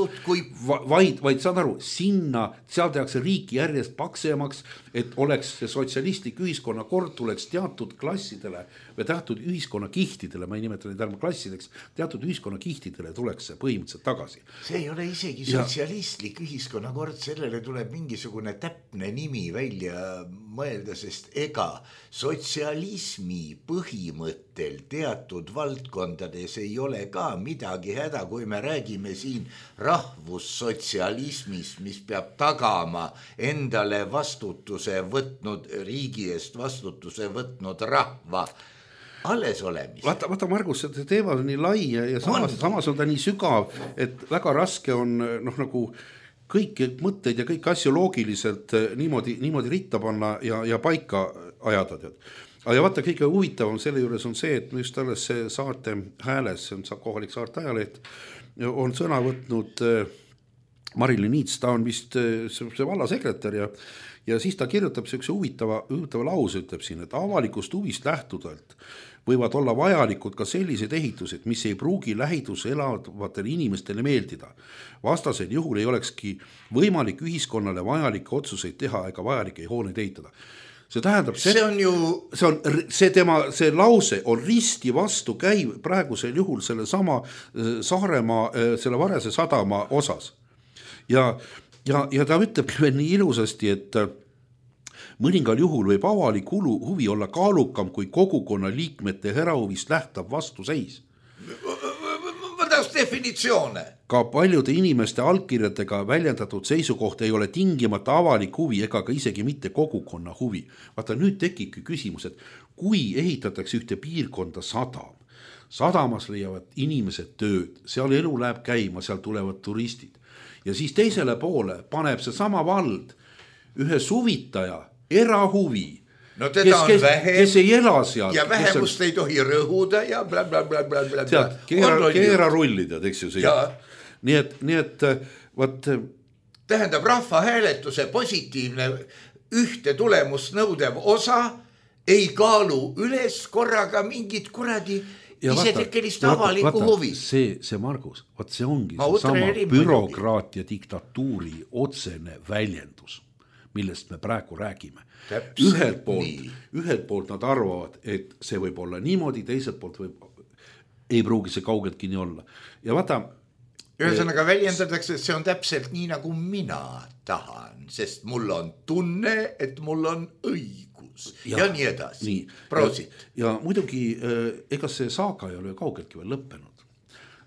vaid saad aru, seal tehakse riiki järjest paksemaks, et oleks see sotsialistlik ühiskonnakord tuleks teatud klassidele või teatud ühiskonnakihtidele, ma ei nimeta neid ärma klassideks, teatud ühiskonnakihtidele tuleks see põhimõtteliselt tagasi. See ei ole isegi sotsialistlik ühiskonnakord, sellele tuleb mingisugune täpne nimi välja mõelda, sest ega sotsialismi põhimõttel teatud valdkondades ei ole ka midagi häda, kui me räägime siin rahvussotsialismist, mis peab tagama endale vastutuse võtnud, riigi eest vastutuse võtnud rahva alles olemist. Vaata Margus, see teema on nii lai ja samas on ta nii sügav, et väga raske on nagu kõiki mõtteid ja kõiki asju loogiliselt niimoodi ritta panna ja paika ajada. Ja vaata, kõige huvitavam selle juures on see, et just alles see Saarte Hääles, see on kohalik Saarte ajaleht, on sõna võtnud Marilyn Niits, ta on vist see vallasekretär ja siis ta kirjutab sellise huvitava lause, ütleb siin, et avalikust huvist lähtudelt võivad olla vajalikud ka sellised ehitused, mis ei pruugi lähidus elavatele inimestele meeldida. Vastasel juhul ei olekski võimalik ühiskonnale vajalikke otsuseid teha ega vajalikke hooneid ehitada. See tähendab, see lause on risti vastu käiv praegusel juhul selle sama Saaremaa, selle Varese sadama osas. Ja ta ütleb veel nii ilusasti, et mõningal juhul võib avalik huvi olla kaalukam kui kogukonna liikmete herahuvist lähtav vastuseis. Ma tahaks definitsioone. Ka paljude inimeste allkirjadega väljendatud seisukoht ei ole tingimata avalik huvi ega ka isegi mitte kogukonna huvi. Vaata, nüüd tekibki küsimus, et kui ehitatakse ühte piirkonda sadam, sadamas leiavad inimesed tööd, seal elu läheb käima, seal tulevad turistid ja siis teisele poole paneb see sama vald ühe suvitaja erahuvi, No teda on vähem kes ei ela seal ja vähemust ei tohi rõhuda ja blablabla. Keera rullida, eks ju see. Nii et võt... Tähendab, rahvahääletuse positiivne ühte tulemust nõudev osa ei kaalu üles korraga mingit kuradi isetekkelist avalikku huvi. See Margus, see ongi sama bürokraatia diktatuuri otsene väljendus, millest me praegu räägime. Ühelt poolt nad arvavad, et see võib olla niimoodi, teiselt poolt ei pruugi see kaugeltki nii olla. Ja vaata, ühesõnaga väljendatakse, et see on täpselt nii, nagu mina tahan, sest mul on tunne, et mul on õigus ja nii edasi. Ja muidugi, ega see saaga ei ole kaugeltki veel lõppenud.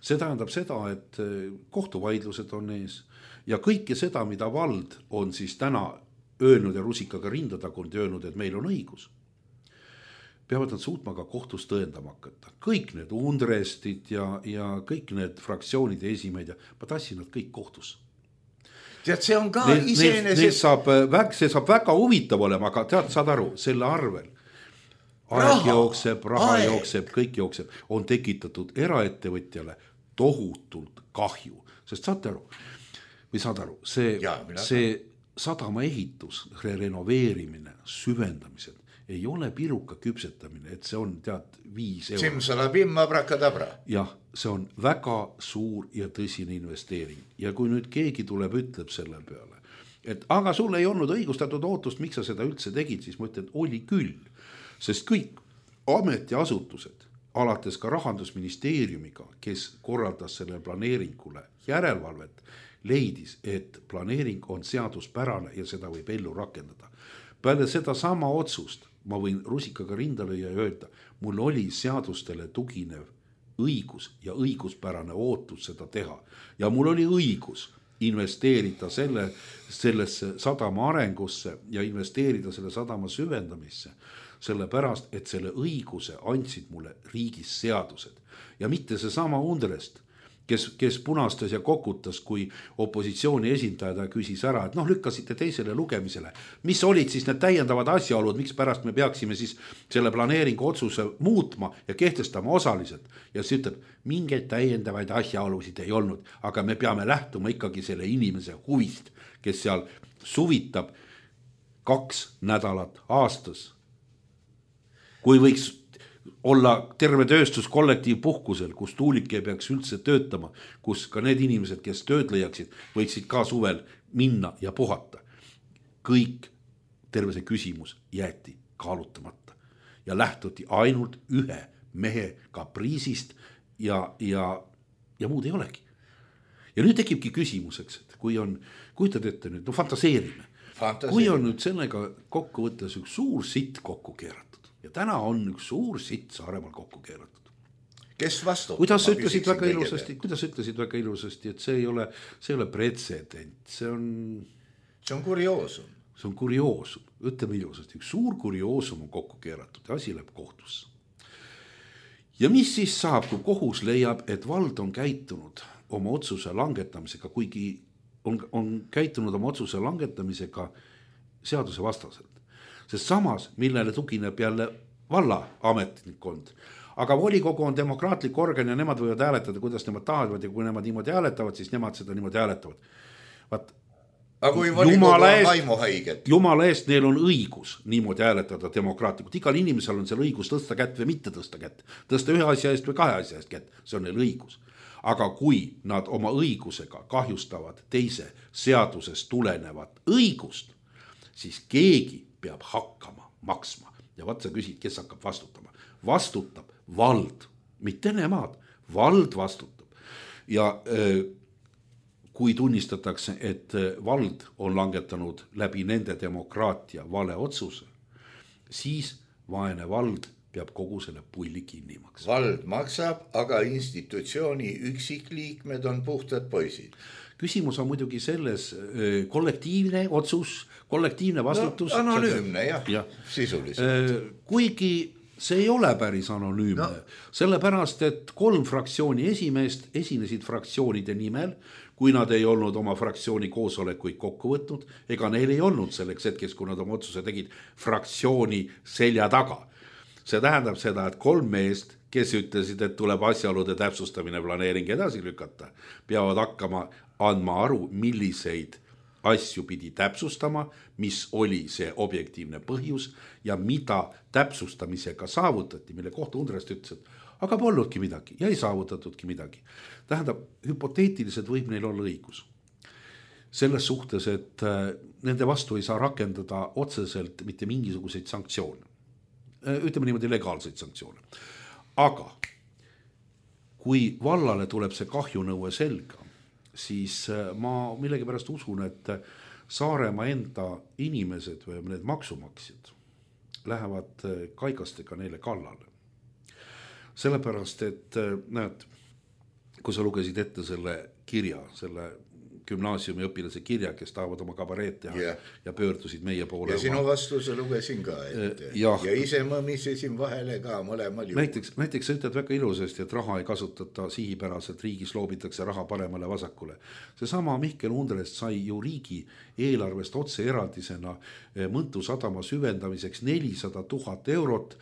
See tähendab seda, et kohtuvaidlused on ees ja kõike seda, mida vald on siis täna öelnud ja rusikaga rinda tagunud ja öelnud, et meil on õigus. Peavad nad suutma ka kohtus tõendama hakata. Kõik need undrestid ja kõik need fraktsioonide esimeid, ma tassin nad kõik kohtus. Tead, see on ka iseenesest... See saab väga huvitav olema, aga tead, saad aru, selle arvel aeg jookseb, raha jookseb, kõik jookseb, on tekitatud eraettevõtjale tohutult kahju. Sest saad aru, see sadama ehitus, renoveerimine, süvendamised ei ole piruka küpsetamine, et see on 5 €. Simsalabim, abrakadabra. Jah, see on väga suur ja tõsine investeering. Ja kui nüüd keegi tuleb, ütleb selle peale, et aga sul ei olnud õigustatud ootust, miks sa seda üldse tegid, siis ma ütlen, et oli küll. Sest kõik ametiasutused, alates ka Rahandusministeeriumiga, kes korraldas selle planeeringule järelevalvet, leidis, et planeering on seaduspärane ja seda võib ellu rakendada. Peale seda sama otsust ma võin rusikaga rinda lüüa ja öelda, mul oli seadustele tuginev õigus ja õiguspärane ootus seda teha. Ja mul oli õigus investeerida sellesse sadama arengusse ja investeerida selle sadama süvendamisse, sellepärast, et selle õiguse andsid mulle riigis seadused. Ja mitte see sama undrest, kes punastas ja kokutas, kui opositsiooni esindaja küsis ära, et lükkasite teisele lugemisele. Mis olid siis need täiendavad asjaolud, miks pärast me peaksime siis selle planeeringu otsuse muutma ja kehtestama osaliselt. Ja siis ütleb, mingeid täiendavaid asjaolusid ei olnud, aga me peame lähtuma ikkagi selle inimese huvist, kes seal suvitab 2 nädalat aastas. Kui võiks olla terve tööstuskollektiiv puhkusel, kus tuulik ei peaks üldse töötama, kus ka need inimesed, kes tööd leiaksid, võiksid ka suvel minna ja puhata. Kõik terve see küsimus jäeti kaalutamata ja lähtuti ainult ühe mehe kapriisist ja muud ei olegi. Ja nüüd tekibki küsimuseks, et kujutad ette nüüd, fantaseerime. Kui on nüüd sellega kokku võttes üks suur sitt kokku keeratud. Ja täna on üks suur sitt Saaremaal kokku keeratud. Kes vastu? Kuidas ütlesid väga ilusasti, et see ei ole pretsedent, see on kurioosum. See on kurioosum, ütleme ilusasti, üks suur kurioosum on kokku keeratud ja asi läheb kohtusse. Ja mis siis saab, kui kohus leiab, et vald on käitunud oma otsuse langetamisega, kuigi on käitunud oma otsuse langetamisega seaduse vastaselt. Sest samas, millele tugineb jälle valla ametnikkond. Aga volikogu on demokraatlik organ ja nemad võivad hääletada, kuidas nemad tahavad ja kui nemad niimoodi hääletavad, siis nemad seda niimoodi hääletavad. Aga kui volikogu on vaimuhaiget? Jumala eest, neil on õigus niimoodi hääletada demokraatlikult. Igal inimesel on seal õigus tõsta kätt või mitte tõsta kätt. Tõsta ühe asja eest või 2 asja eest kätt. See on neil õigus. Aga kui nad oma õigusega kahjustavad teise seadusest tulenevat õigust, siis keegi peab hakkama maksma. Ja vaat sa küsid, kes hakkab vastutama. Vastutab vald, mitte nemad. Vald vastutab. Ja kui tunnistatakse, et vald on langetanud läbi nende demokraatia vale otsuse, siis vaene vald peab kogu selle pulli kinni maksma. Vald maksab, aga institutsiooni üksikliikmed on puhtad poisid. Küsimus on muidugi selles kollektiivne otsus, kollektiivne vastutus. No, anonüümne jah, sisuliselt. Kuigi see ei ole päris anonüümne, sellepärast, et 3 fraktsiooni esimeest esinesid fraktsioonide nimel, kui nad ei olnud oma fraktsiooni koosolekuid kokku võtnud, ega neil ei olnud selleks hetkeks, kui nad oma otsuse tegid fraktsiooni selja taga. See tähendab seda, et 3 meest, kes ütlesid, et tuleb asjaolude täpsustamine planeering edasi lükata, peavad hakkama andma aru, milliseid asju pidi täpsustama, mis oli see objektiivne põhjus ja mida täpsustamisega saavutati, mille kohta Undrest ütles, et aga polnudki midagi ja ei saavutatudki midagi. Tähendab, hüpoteetiliselt võib neil olla õigus. Selles suhtes, et nende vastu ei saa rakendada otseselt mitte mingisuguseid sanktsioone. Ütleme niimoodi legaalseid sanktsioone. Aga kui vallale tuleb see kahjunõue selga, siis ma millegipärast usun, et Saaremaa enda inimesed või need maksumaksjad lähevad kaigastega neile kallale. Sellepärast, et näed, kui sa lugesid ette selle kirja, selle gümnaasiumi õpilase kirja, kes tahavad oma kabareet teha ja pöördusid meie poole. Ja sinu vastuse lugesin ka ette. Ja ise mõmisesin vahele ka mõlemal juhul. Näiteks sa ütled väga ilusasti, et raha ei kasutata sihipäraselt, riigis loobitakse raha paremale vasakule. Seesama Mihkel Undrest sai ju riigi eelarvest otse eraldisena Mõntu sadama süvendamiseks 400 000 eurot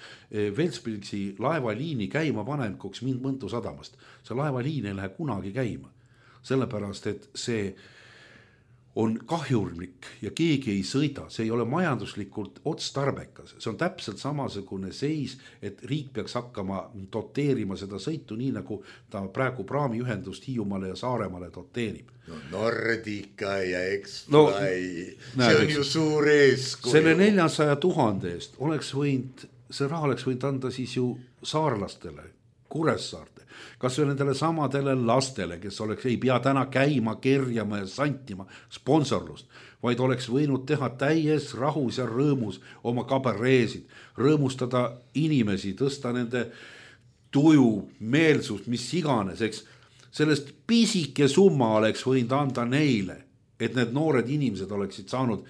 Ventspilsi laevaliini käima panekuks Mõntu sadamast. See laevaliin ei lähe kunagi käima. Sellepärast, et see on kahjurlik ja keegi ei sõida, see ei ole majanduslikult otstarbekas. See on täpselt samasugune seis, et riik peaks hakkama doteerima seda sõitu nii, nagu ta praegu praamiühendust Hiiumaale ja Saaremaale doteerib. No Nordica ja X-Fly, see on ju suur eeskuju. Selle 400 000 eest see raha oleks võinud anda siis ju saarlastele, Kuressaarte. Kas või nendele samadele lastele, kes ei pea täna käima, kerjama ja santima sponsorlust, vaid oleks võinud teha täies rahus ja rõõmus oma kabareesid, rõõmustada inimesi, tõsta nende tuju, meelsust, mis iganes, eks. Sellest pisike summa oleks võinud anda neile, et need noored inimesed oleksid saanud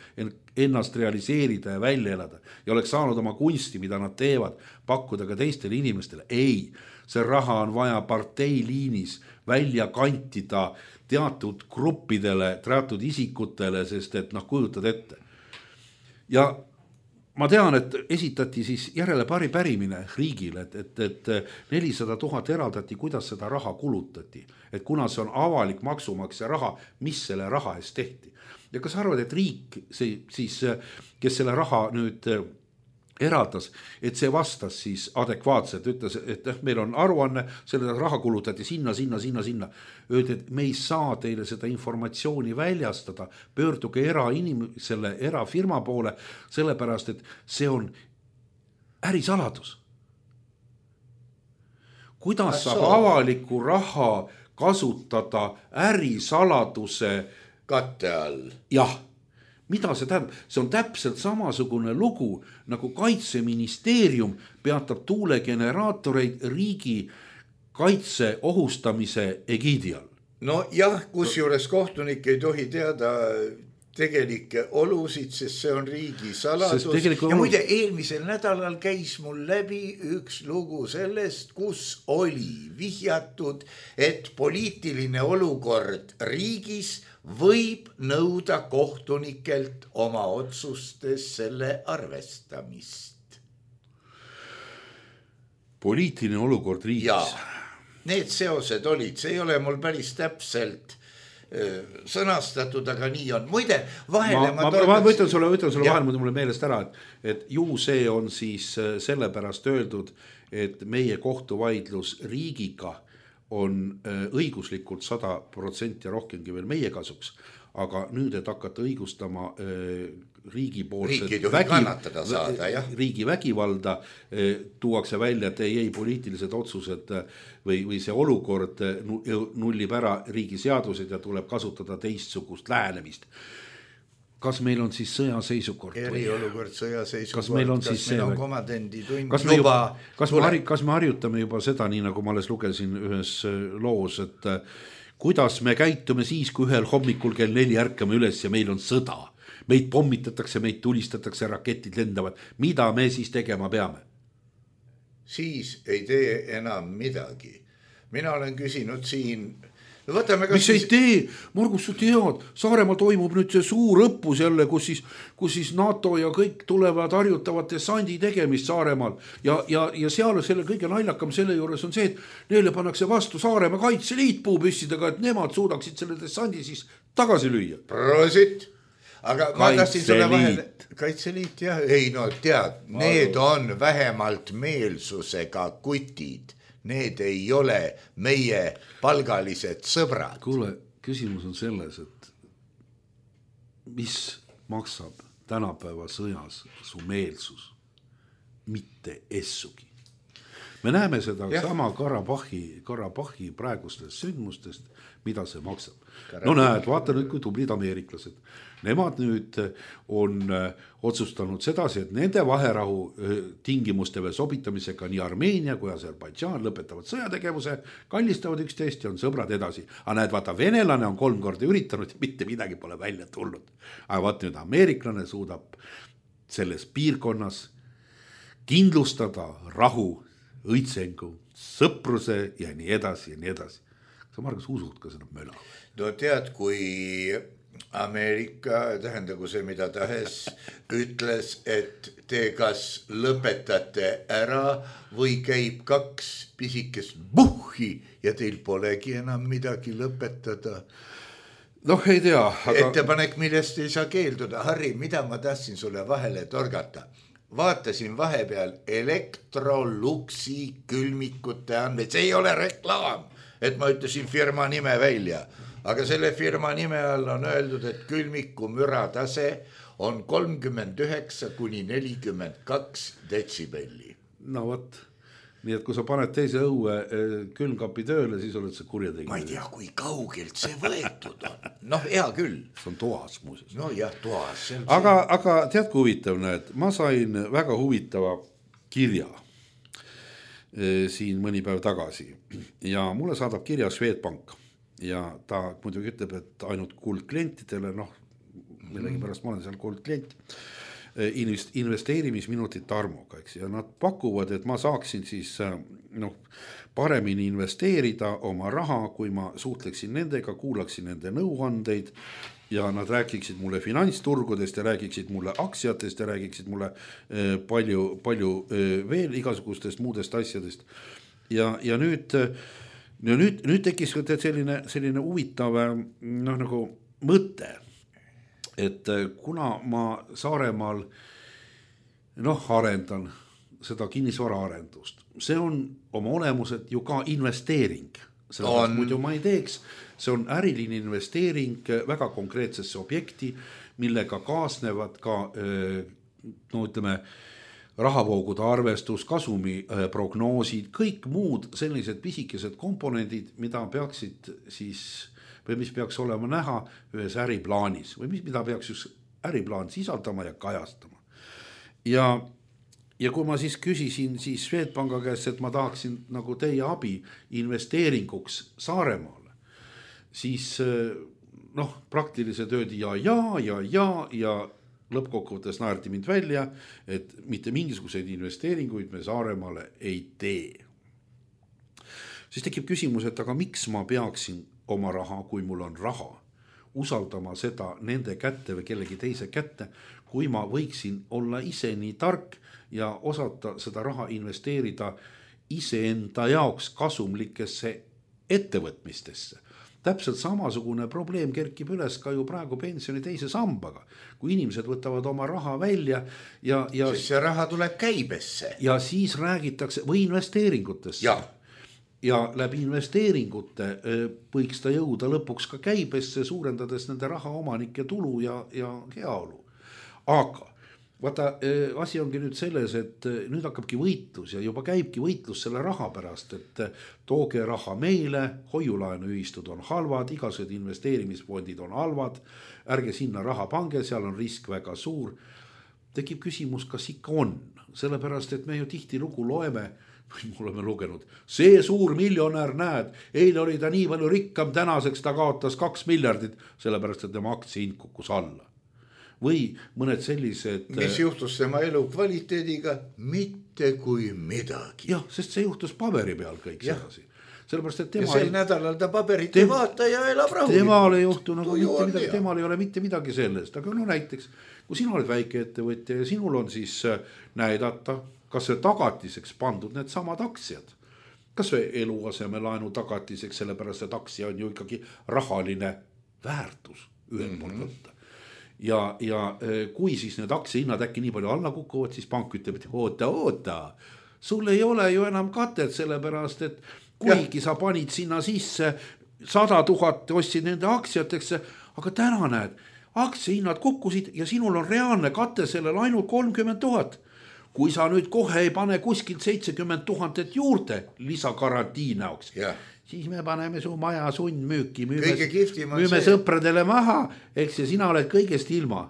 ennast realiseerida ja välja elada ja oleks saanud oma kunsti, mida nad teevad, pakkuda ka teistele inimestele. Ei, see raha on vaja parteiliinis välja kantida teatud gruppidele, teatud isikutele, sest et kujutad ette. Ja ma tean, et esitati siis järele pärimine riigile, et 400 000 eraldati, kuidas seda raha kulutati. Et kuna see on avalik maksumaksja raha, mis selle raha eest tehti. Ja kas arvad, et riik, siis, kes selle raha nüüd eraldas, et see vastas siis adekvaatselt, ütles, et meil on aruanne, selle raha kulutati sinna. Öeldi, et me ei saa teile seda informatsiooni väljastada, pöörduge selle erafirma poole, sellepärast, et see on ärisaladus. Kuidas saab avaliku raha kasutada ärisaladuse katte all? Jah. Mida see tähendab? See on täpselt samasugune lugu, nagu Kaitseministeerium peatab tuulegeneraatoreid riigi kaitse ohustamise egiidi all. No jah, kusjuures kohtunik ei tohi teada tegelikke olusid, sest see on riigi saladus. Ja muide, eelmisel nädalal käis mul läbi üks lugu sellest, kus oli vihjatud, et poliitiline olukord riigis võib nõuda kohtunikelt oma otsustes selle arvestamist. Poliitiline olukord riigis? Ja, need seosed olid, see ei ole mul päris täpselt sõnastatud, aga nii on. Muide, vahele ma ütlen sulle vahele, mulle meelest ära, et ju see on siis sellepärast öeldud, et meie kohtuvaidlus riigiga on õiguslikult 100% rohkemgi veel meie kasuks, aga nüüd, et hakata õigustama riigi vägivalda, tuuakse välja, et ei poliitilised otsused või see olukord nullib ära riigi seadused ja tuleb kasutada teistsugust lähenemist. kas meil on siis sõjaseisukord? Eriolukord, sõjaseisukord, kas meil on komadendi tund kas me harjutame juba seda, nii nagu ma alles lugesin ühes loos, et kuidas me käitume siis, kui ühel hommikul kell 4 ärkame üles ja meil on sõda. Meid pommitatakse, meid tulistatakse, raketid lendavad. Mida me siis tegema peame? Siis ei tee enam midagi. Mina olen küsinud siin... Mis ei tee? Margus, sa tead, Saaremaal toimub nüüd see suur õppus jälle, kus siis NATO ja kõik tulevad harjutavad dessandi tegemist Saaremaal. Ja seal selle kõige naljakam selle juures on see, et neile pannakse vastu Saaremaa kaitseliit puupüssidega, et nemad suudaksid selle dessandi siis tagasi lüüa. Prosit! Aga ma tahtsin sulle vahele... Kaitseliit, jah. Ei, no tead, need on vähemalt meelsusega kutid. Need ei ole meie palgalised sõbrad. Kuule, küsimus on selles, et mis maksab tänapäeva sõjas su meelsus? Mitte essugi. Me näeme seda sama Karabahhi praegustest sündmustest, mida see maksab. No näed, vaata nüüd, kui tublid ameeriklased. Nemad nüüd on otsustanud sedasi, et nende vaherahu tingimustele sobitamisega nii Armeenia kui Aserbaidžaan lõpetavad sõjategevuse, kallistavad üksteist ja on sõbrad edasi. Aga näed, vaata, venelane on 3 korda üritanud ja mitte midagi pole välja tulnud. Aga vaata nüüd ameeriklane suudab selles piirkonnas kindlustada rahu, õitsengu, sõpruse ja nii edasi ja nii edasi. Sa, Margus, usud ka seda möla? No tead, kui Ameerika, tähendagu see mida tahes, ütles, et te kas lõpetate ära või käib 2 pisikest buhhi ja teil polegi enam midagi lõpetada. Noh, ei tea. Aga... Ettepanek, millest ei saa keelduda. Harri, mida ma tahtsin sulle vahele torgata? Vaatasin vahepeal Electroluxi külmikute andmeid. See ei ole reklaam, et ma ütlesin firma nime välja. Aga selle firma nime all on öeldud, et külmiku müratase on 39 kuni 42 detsibelli. No võt, nii et kui sa paned teise õue külmkapi tööle, siis oled see kurjategija. Ma ei tea, kui kaugelt see võetud on. Noh, hea küll. See on toas muuses. No jah, toas. Aga tead, kui huvitav näed, ma sain väga huvitava kirja siin mõni päev tagasi ja mulle saadab kirja Swedbank. Ja ta muidugi ütleb, et ainult kuldklientidele, noh, millegi pärast ma olen seal kuldklient, investeerimisminutit armuga, eks, ja nad pakuvad, et ma saaksin siis paremini investeerida oma raha, kui ma suhtleksin nendega, kuulaksin nende nõuandeid ja nad rääkiksid mulle finantsturgudest ja rääkiksid mulle aktsiatest ja rääkiksid mulle palju veel igasugustest muudest asjadest. Ja nüüd tekkis selline huvitav nagu mõte, et kuna ma Saaremaal arendan seda kinnisvara arendust, see on oma olemuselt ju ka investeering, muidu ma ei teeks, see on äriline investeering väga konkreetsesse objekti, millega kaasnevad ka ütleme rahavoogude arvestus, kasumi prognoosid, kõik muud sellised pisikesed komponendid, mida peaksid siis, või mis peaks olema näha ühes äriplaanis või mida peaks just äriplaan sisaldama ja kajastama. Ja kui ma siis küsisin siis Swedbanka käest, et ma tahaksin nagu teie abi investeeringuks Saaremaale, siis praktiliselt öeldi ja lõppkokkuvõttes naerti mind välja, et mitte mingisuguseid investeeringuid me Saaremaale ei tee. Siis tekib küsimus, et aga miks ma peaksin oma raha, kui mul on raha, usaldama seda nende kätte või kellegi teise kätte, kui ma võiksin olla ise nii tark ja osata seda raha investeerida iseenda jaoks kasumlikesse ettevõtmistesse. Täpselt samasugune probleem kerkib üles ka ju praegu pensioni teise sambaga. Kui inimesed võtavad oma raha välja ja see raha tuleb käibesse. Ja siis räägitakse või investeeringutesse. Ja läbi investeeringute võiks ta jõuda lõpuks ka käibesse, suurendades nende raha omanike tulu ja heaolu. Aga vaata, asi ongi nüüd selles, et nüüd hakkabki võitlus ja juba käibki võitlus selle raha pärast, et tooge raha meile, hoiulaenuühistud on halvad, igasugused investeerimisfondid on halvad, ärge sinna raha pange, seal on risk väga suur. Tekib küsimus, kas ikka on, sellepärast, et me ju tihti lugu loeme, me oleme lugenud, see suur miljonär näed, eile oli ta nii palju rikkam, tänaseks ta kaotas 2 miljardit, sellepärast, et tema aktsiahind kukkus alla. Või mõned sellised... Mis juhtus tema elu kvaliteediga? Mitte kui midagi. Jah, sest see juhtus paberi peal kõik sedasi. Sellepärast, et ja sel nädalal ta paberit ei vaata ja elab rahulikult. Temal ei juhtu nagu mitte midagi, temal ei ole mitte midagi sellest. Aga no näiteks, kui sina oled väike ettevõtja ja sinul on siis näidata, kas see tagatiseks pandud need samad aktsiad. Kas see eluaseme laenu tagatiseks, sellepärast, et aktsia on ju ikkagi rahaline väärtus ühel poolt võtta. Ja kui siis need aktsiahinnad äkki nii palju alla kukuvad, siis pank ütleb, et oota, sul ei ole ju enam katet, sellepärast, et kuigi sa panid sinna sisse 100 000 ostsid nende aktsiateks, aga täna näed, aktsiahinnad kukkusid ja sinul on reaalne kate sellel ainult 30 000. Kui sa nüüd kohe ei pane kuskilt 70 000 juurde lisagarantii näoks, siis me paneme su maja sundmüüki, müüme sõpradele maha, eks ja sina oled kõigest ilma.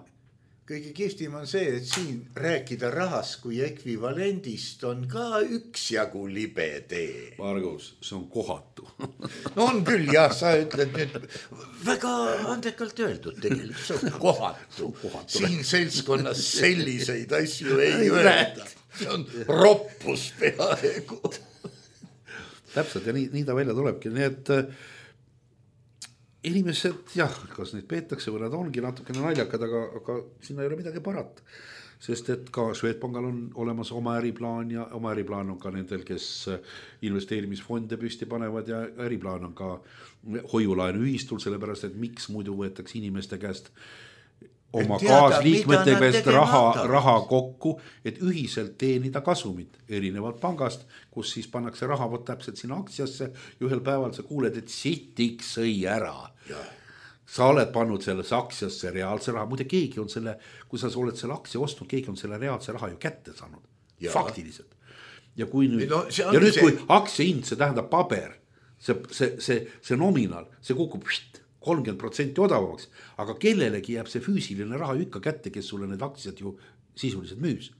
Kõige kihvtim on see, et siin rääkida rahast kui ekvivalendist on ka üksjagu libe tee. Margus, see on kohatu. No on küll, jah, sa ütled nüüd väga andekalt öeldud tegelikult, see on kohatu. Siin seltskonnas selliseid asju ei öelda. See on roppus peaaegu. Täpselt ja nii ta välja tulebki, nii et inimesed, jah, kas neid peetakse või nad ongi natukene naljakad, aga sinna ei ole midagi parata. Sest et ka Swedbankal on olemas oma äriplaan ja oma äriplaan on ka nendel, kes investeerimisfonde püsti panevad ja äriplaan on ka hoiulaenu ühistul, sellepärast, et miks muidu võetakse inimeste käest oma kaasliikmete käest raha kokku, et ühiselt teenida kasumit erinevalt pangast, kus siis pannakse raha täpselt sinna aktsiasse ja ühel päeval sa kuuled, et sitiks sõi ära. Sa oled pannud selles aktsiasse reaalse raha, muide keegi on selle, kui sa oled selle aktsia ostnud, keegi on selle reaalse raha ju kätte saanud, faktiliselt. Ja kui nüüd, kui aktsiahind, see tähendab paber, see nominaal, see kukub 30% odavamaks, aga kellelegi jääb see füüsiline raha ikka kätte, kes sulle need aktsiad ju sisuliselt müüs.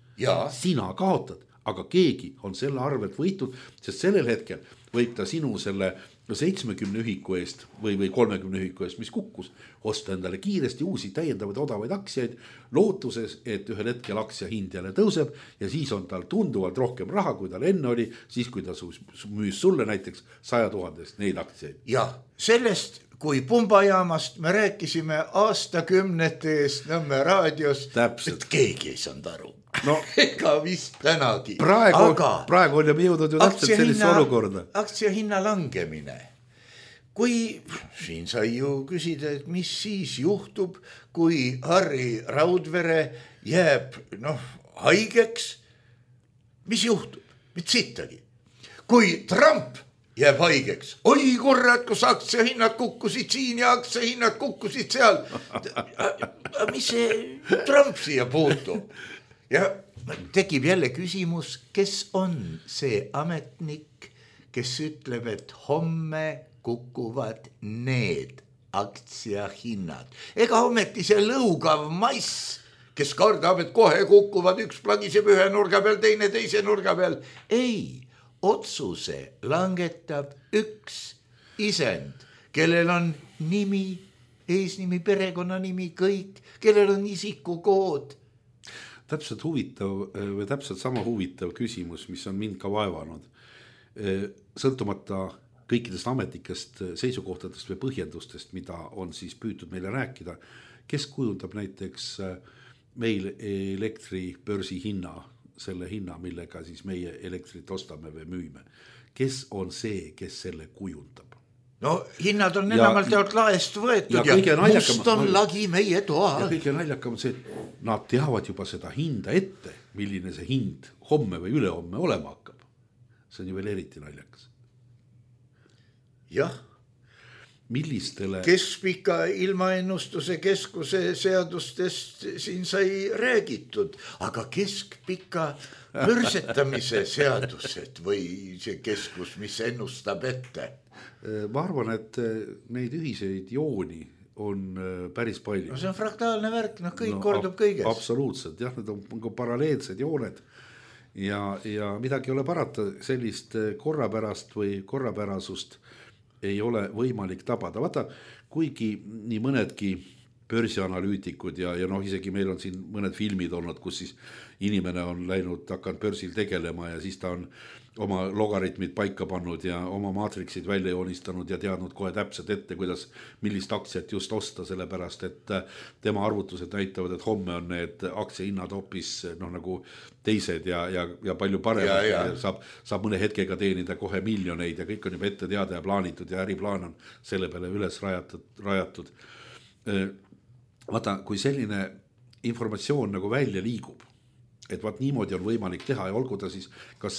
Sina kaotad, aga keegi on selle arvelt võitud, sest sellel hetkel võib ta sinu selle 70 ühiku eest või 30 ühiku eest, mis kukkus, osta endale kiiresti uusi täiendavaid odavaid aktsiaid lootuses, et ühel hetkel aktsia hind jälle tõuseb ja siis on tal tunduvalt rohkem raha, kui tal enne oli, siis kui ta müüs sulle näiteks 100 000 neid aktsiaid. Ja sellest kui pumbajaamast me rääkisime aastakümnete eest Nõmme raadios, et keegi ei saanud aru. No, ega vist tänagi. Praegu on juba jõudnud ju täpselt sellist olukorda. Aktsiahinna langemine. Kui siin sai ju küsida, et mis siis juhtub, kui Harri Raudvere jääb haigeks, mis juhtub? Mit sittagi. Kui Trump jääb haigeks. Oi kurrat, kus aktsiahinnad kukkusid siin ja aktsiahinnad kukkusid seal. Mis see Trump siia puutub? Ja tekib jälle küsimus, kes on see ametnik, kes ütleb, et homme kukuvad need aktsiahinnad. Ega ometi see lõugav mass, kes kardab, et kohe kukuvad, üks plagiseb ühe nurga peal, teine teise nurga peal. Ei. Otsuse langetab üks isend, kellel on nimi, eesnimi, perekonnanimi, kõik, kellel on isikukood. Täpselt huvitav või täpselt sama huvitav küsimus, mis on mind ka vaevanud. Sõltumata kõikidest ametlikest seisukohtadest või põhjendustest, mida on siis püütud meile rääkida, kes kujundab näiteks meil elektribörsi hinna, selle hinna, millega siis meie elektrit ostame või müüme. Kes on see, kes selle kujundab? No hinnad on enamalt jaolt laest võetud ja must on lagi meie toa. Ja kõige naljakam on see, et nad teavad juba seda hinda ette, milline see hind homme või ülehomme olema hakkab. See on ju veel eriti naljakas. Jah. millistele Keskpika ilmaennustuse keskuse seadustest siin sai räägitud, aga keskpika pörsetamise seadused või see keskus, mis ennustab ette? Ma arvan, et neid ühiseid jooni on päris palju. No see on fraktaalne värk, kõik kordub kõiges. Absoluutselt, jah, need on paralleelsed jooned ja midagi ei ole parata, sellist korrapärast või korrapärasust ei ole võimalik tabada. Vaata, kuigi nii mõnedki börsianalüütikud ja isegi meil on siin mõned filmid olnud, kus siis inimene on läinud, hakanud börsil tegelema ja siis ta on oma logaritmid paika pannud ja oma maatriksid välja joonistanud ja teadnud kohe täpselt ette, kuidas, millist aktsiat just osta, sellepärast et tema arvutused näitavad, et homme on need aktsiahinnad hoopis nagu teised ja palju paremad ja saab mõne hetkega teenida kohe miljoneid ja kõik on juba ette teada ja plaanitud ja äriplaan on selle peale üles rajatud. Vaata, kui selline informatsioon nagu välja liigub, et vaat niimoodi on võimalik teha ja olgu ta siis kas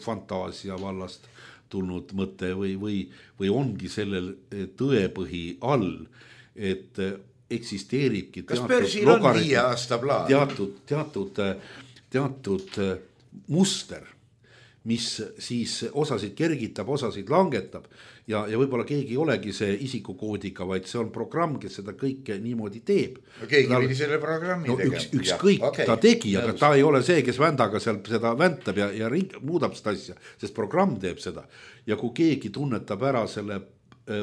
fantaasia vallast tulnud mõte või ongi sellel tõepõhi all, et eksisteeribki kas börsil on 5 aasta plaan? Teatud muster, mis siis osasid kergitab, osasid langetab ja võib-olla keegi ei olegi see isikukoodiga, vaid see on programm, kes seda kõike niimoodi teeb. No keegi pidi selle programmi tegema. Ükskõik ta tegi, aga ta ei ole see, kes vändaga seal seda väntab ja muudab seda asja, sest programm teeb seda. Ja kui keegi tunnetab ära selle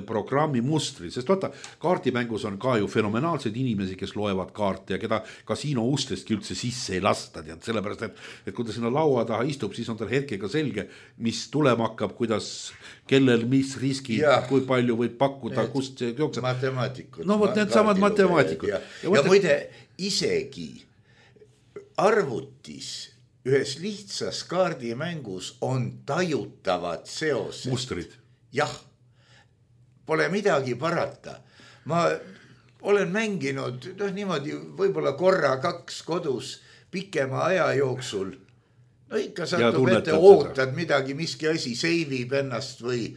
programmi mustri, sest vaata, kaartimängus on ka ju fenomenaalseid inimesi, kes loevad kaarte ja keda kasiino ustestki üldse sisse ei lasta, sellepärast, et kui ta sinna laua taha istub, siis on tal hetkega selge, mis tulema hakkab, kuidas, kellel, mis riski, kui palju võib pakkuda, kust see jookseb. Matemaatikud. No vot, need samad matemaatikud. Ja muide, isegi arvutis ühes lihtsas kaardimängus on tajutavad seosed. Mustrid. Jah. Pole midagi parata. Ma olen mänginud niimoodi võib-olla korra 2 kodus pikema aja jooksul. No ikka satub ette, ootad midagi, miski asi seivib ennast või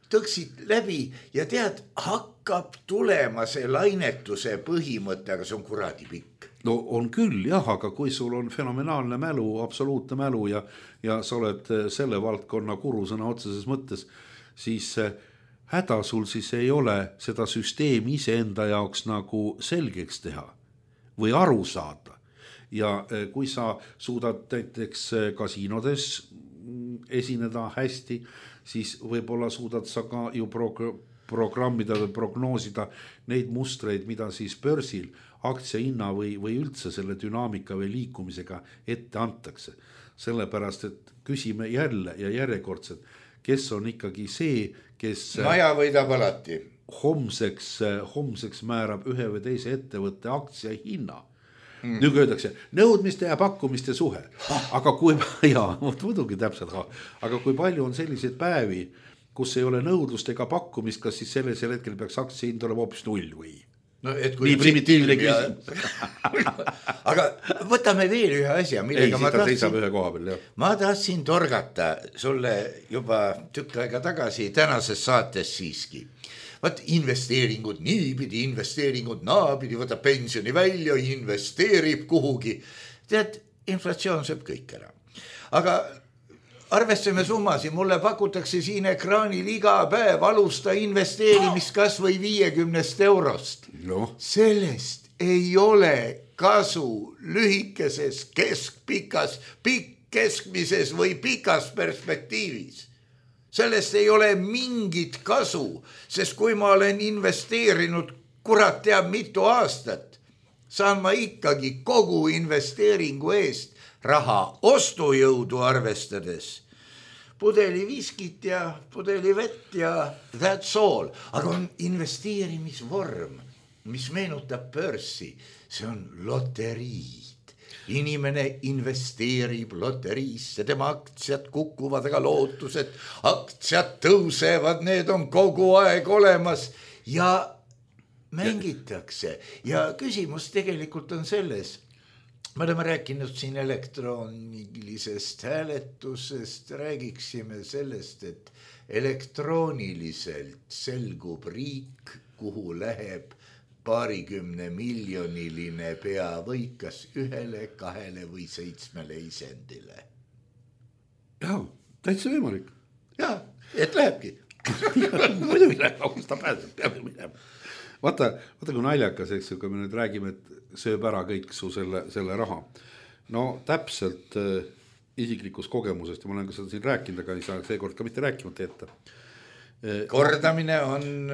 tõksid läbi ja tead, hakkab tulema see lainetuse põhimõte, aga see on kuradi pikk. No on küll jah, aga kui sul on fenomenaalne mälu, absoluutne mälu ja sa oled selle valdkonna kurusõna otseses mõttes, siis häda sul siis ei ole seda süsteemi iseenda jaoks nagu selgeks teha või aru saada. Ja kui sa suudad näiteks kasiinodes esineda hästi, siis võib-olla suudad sa ka ju programmida või prognoosida neid mustreid, mida siis börsil aktsiahinna või üldse selle dünaamika või liikumisega ette antakse. Sellepärast, et küsime jälle ja järjekordselt, kes on ikkagi see, kes maja võidab alati. Homseks määrab ühe või teise ettevõtte aktsia hinna. Nüüd öeldakse, nõudmiste ja pakkumiste suhe. Aga muidugi täpselt. Aga kui palju on selliseid päevi, kus ei ole nõudlust ega pakkumist, kas siis sellisel hetkel peaks aktsia hind olema hoopis 0 või? No, nii primitiivne küsimus. Aga võtame veel ühe asja, millega ma tahtsin torgata sulle juba tükk aega tagasi tänases saates siiski. Vaat investeeringud niipidi, investeeringud naapidi, võtab pensioni välja, investeerib kuhugi. Tead, inflatsioon sööb kõik ära. Aga arvestame summasi, mulle pakutakse siin ekraanil iga päev alusta investeerimist kas või 50 eurost. No. Sellest ei ole kasu lühikeses, keskpikas, keskmises või pikas perspektiivis. Sellest ei ole mingit kasu, sest kui ma olen investeerinud kurat teab mitu aastat, saan ma ikkagi kogu investeeringu eest raha ostujõudu arvestades. Pudeli viskit ja pudeli vett ja that's all. Aga on investeerimisvorm, mis meenutab börsi. See on loteriid. Inimene investeerib loteriisse, tema aktsiad kukuvad, aga lootused, aktsiad tõusevad, need on kogu aeg olemas ja mängitakse. Ja küsimus tegelikult on selles, Me oleme rääkinud siin elektroonilisest hääletusest, räägiksime sellest, et elektrooniliselt selgub riik, kuhu läheb 20 miljoniline peavõit kas 1, 2 või 7 isendile. Jaa, täitsa võimalik. Jaa, et lähebki. Muidugi läheb, kus ta pääseb, peab minema. Vaata, kui naljakas, eks, kui me nüüd räägime, et sööb ära kõik su selle raha. No täpselt isiklikus kogemusest, ja ma olen ka seda siin rääkinud, aga ei saa seekord ka mitte rääkimata jätta. Kordamine on...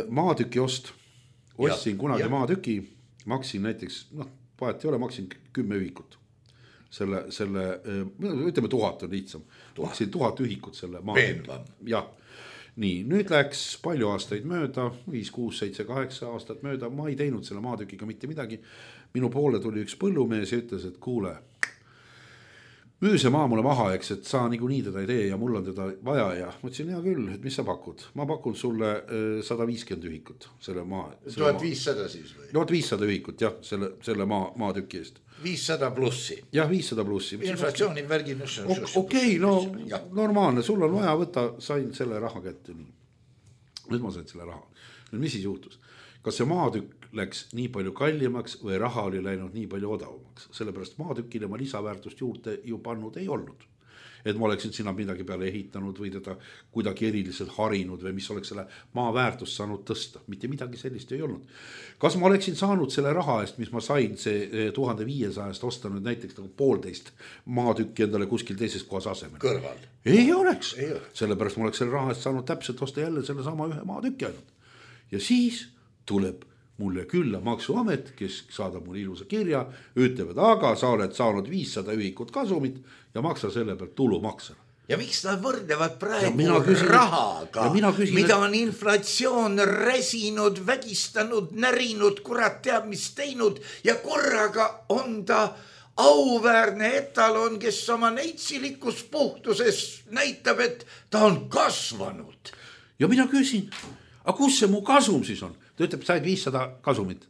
Maatüki ost. Ostsin kunagi maatüki, maksin näiteks, vahet ei ole, maksin 10 ühikut. Ütleme 1000 on lihtsam. Maksin 1000 ühikut selle maatüki. Jah. Nii, nüüd läks palju aastaid mööda, 5, 6, 7, 8 aastat mööda, ma ei teinud selle maatükiga mitte midagi. Minu poole tuli üks põllumees ja ütles, et kuule, müü see maa mulle maha, eks, et sa niikuinii teda ei tee ja mul on teda vaja ja ma ütlesin, hea küll, et mis sa pakud? Ma pakun sulle 150 ühikut selle maa. 1500 siis või? 1500 ühikut, jah, selle maatüki eest. 500 plussi. Jah, 500 plussi. Inflatsiooni värgin. Okei, no normaalne, sul on vaja võtta, sain selle raha kätte. Nüüd ma sain selle raha. Nüüd mis siis juhtus? Kas see maatükk läks nii palju kallimaks või raha oli läinud nii palju odavamaks? Sellepärast maatükile ma lisaväärtust juurde ju pannud ei olnud. Et ma oleksin sinna midagi peale ehitanud või teda kuidagi eriliselt harinud või mis oleks selle maa väärtust saanud tõsta. Mitte midagi sellist ei olnud. Kas ma oleksin saanud selle raha eest, mis ma sain see 1500 osta nüüd näiteks nagu 1,5 maatükki endale kuskil teises kohas asemel? Kõrval. Ei oleks. Sellepärast ma oleks selle raha eest saanud täpselt osta jälle selle sama ühe maatükki ainult. Ja siis tuleb mulle külla maksuamet, kes saadab mulle ilusa kirja, ütleb, et aga sa oled saanud 500 ühikut kasumit ja maksa selle pealt tulumaksa. Ja miks nad võrdlevad praegu rahaga, mida on inflatsioon räsinud, vägistanud, närinud, kurat teab mis teinud ja korraga on ta auväärne etalon, kes oma neitsilikus puhtuses näitab, et ta on kasvanud. Ja mina küsin, aga kus see mu kasum siis on? Ta ütleb, said 500 kasumit.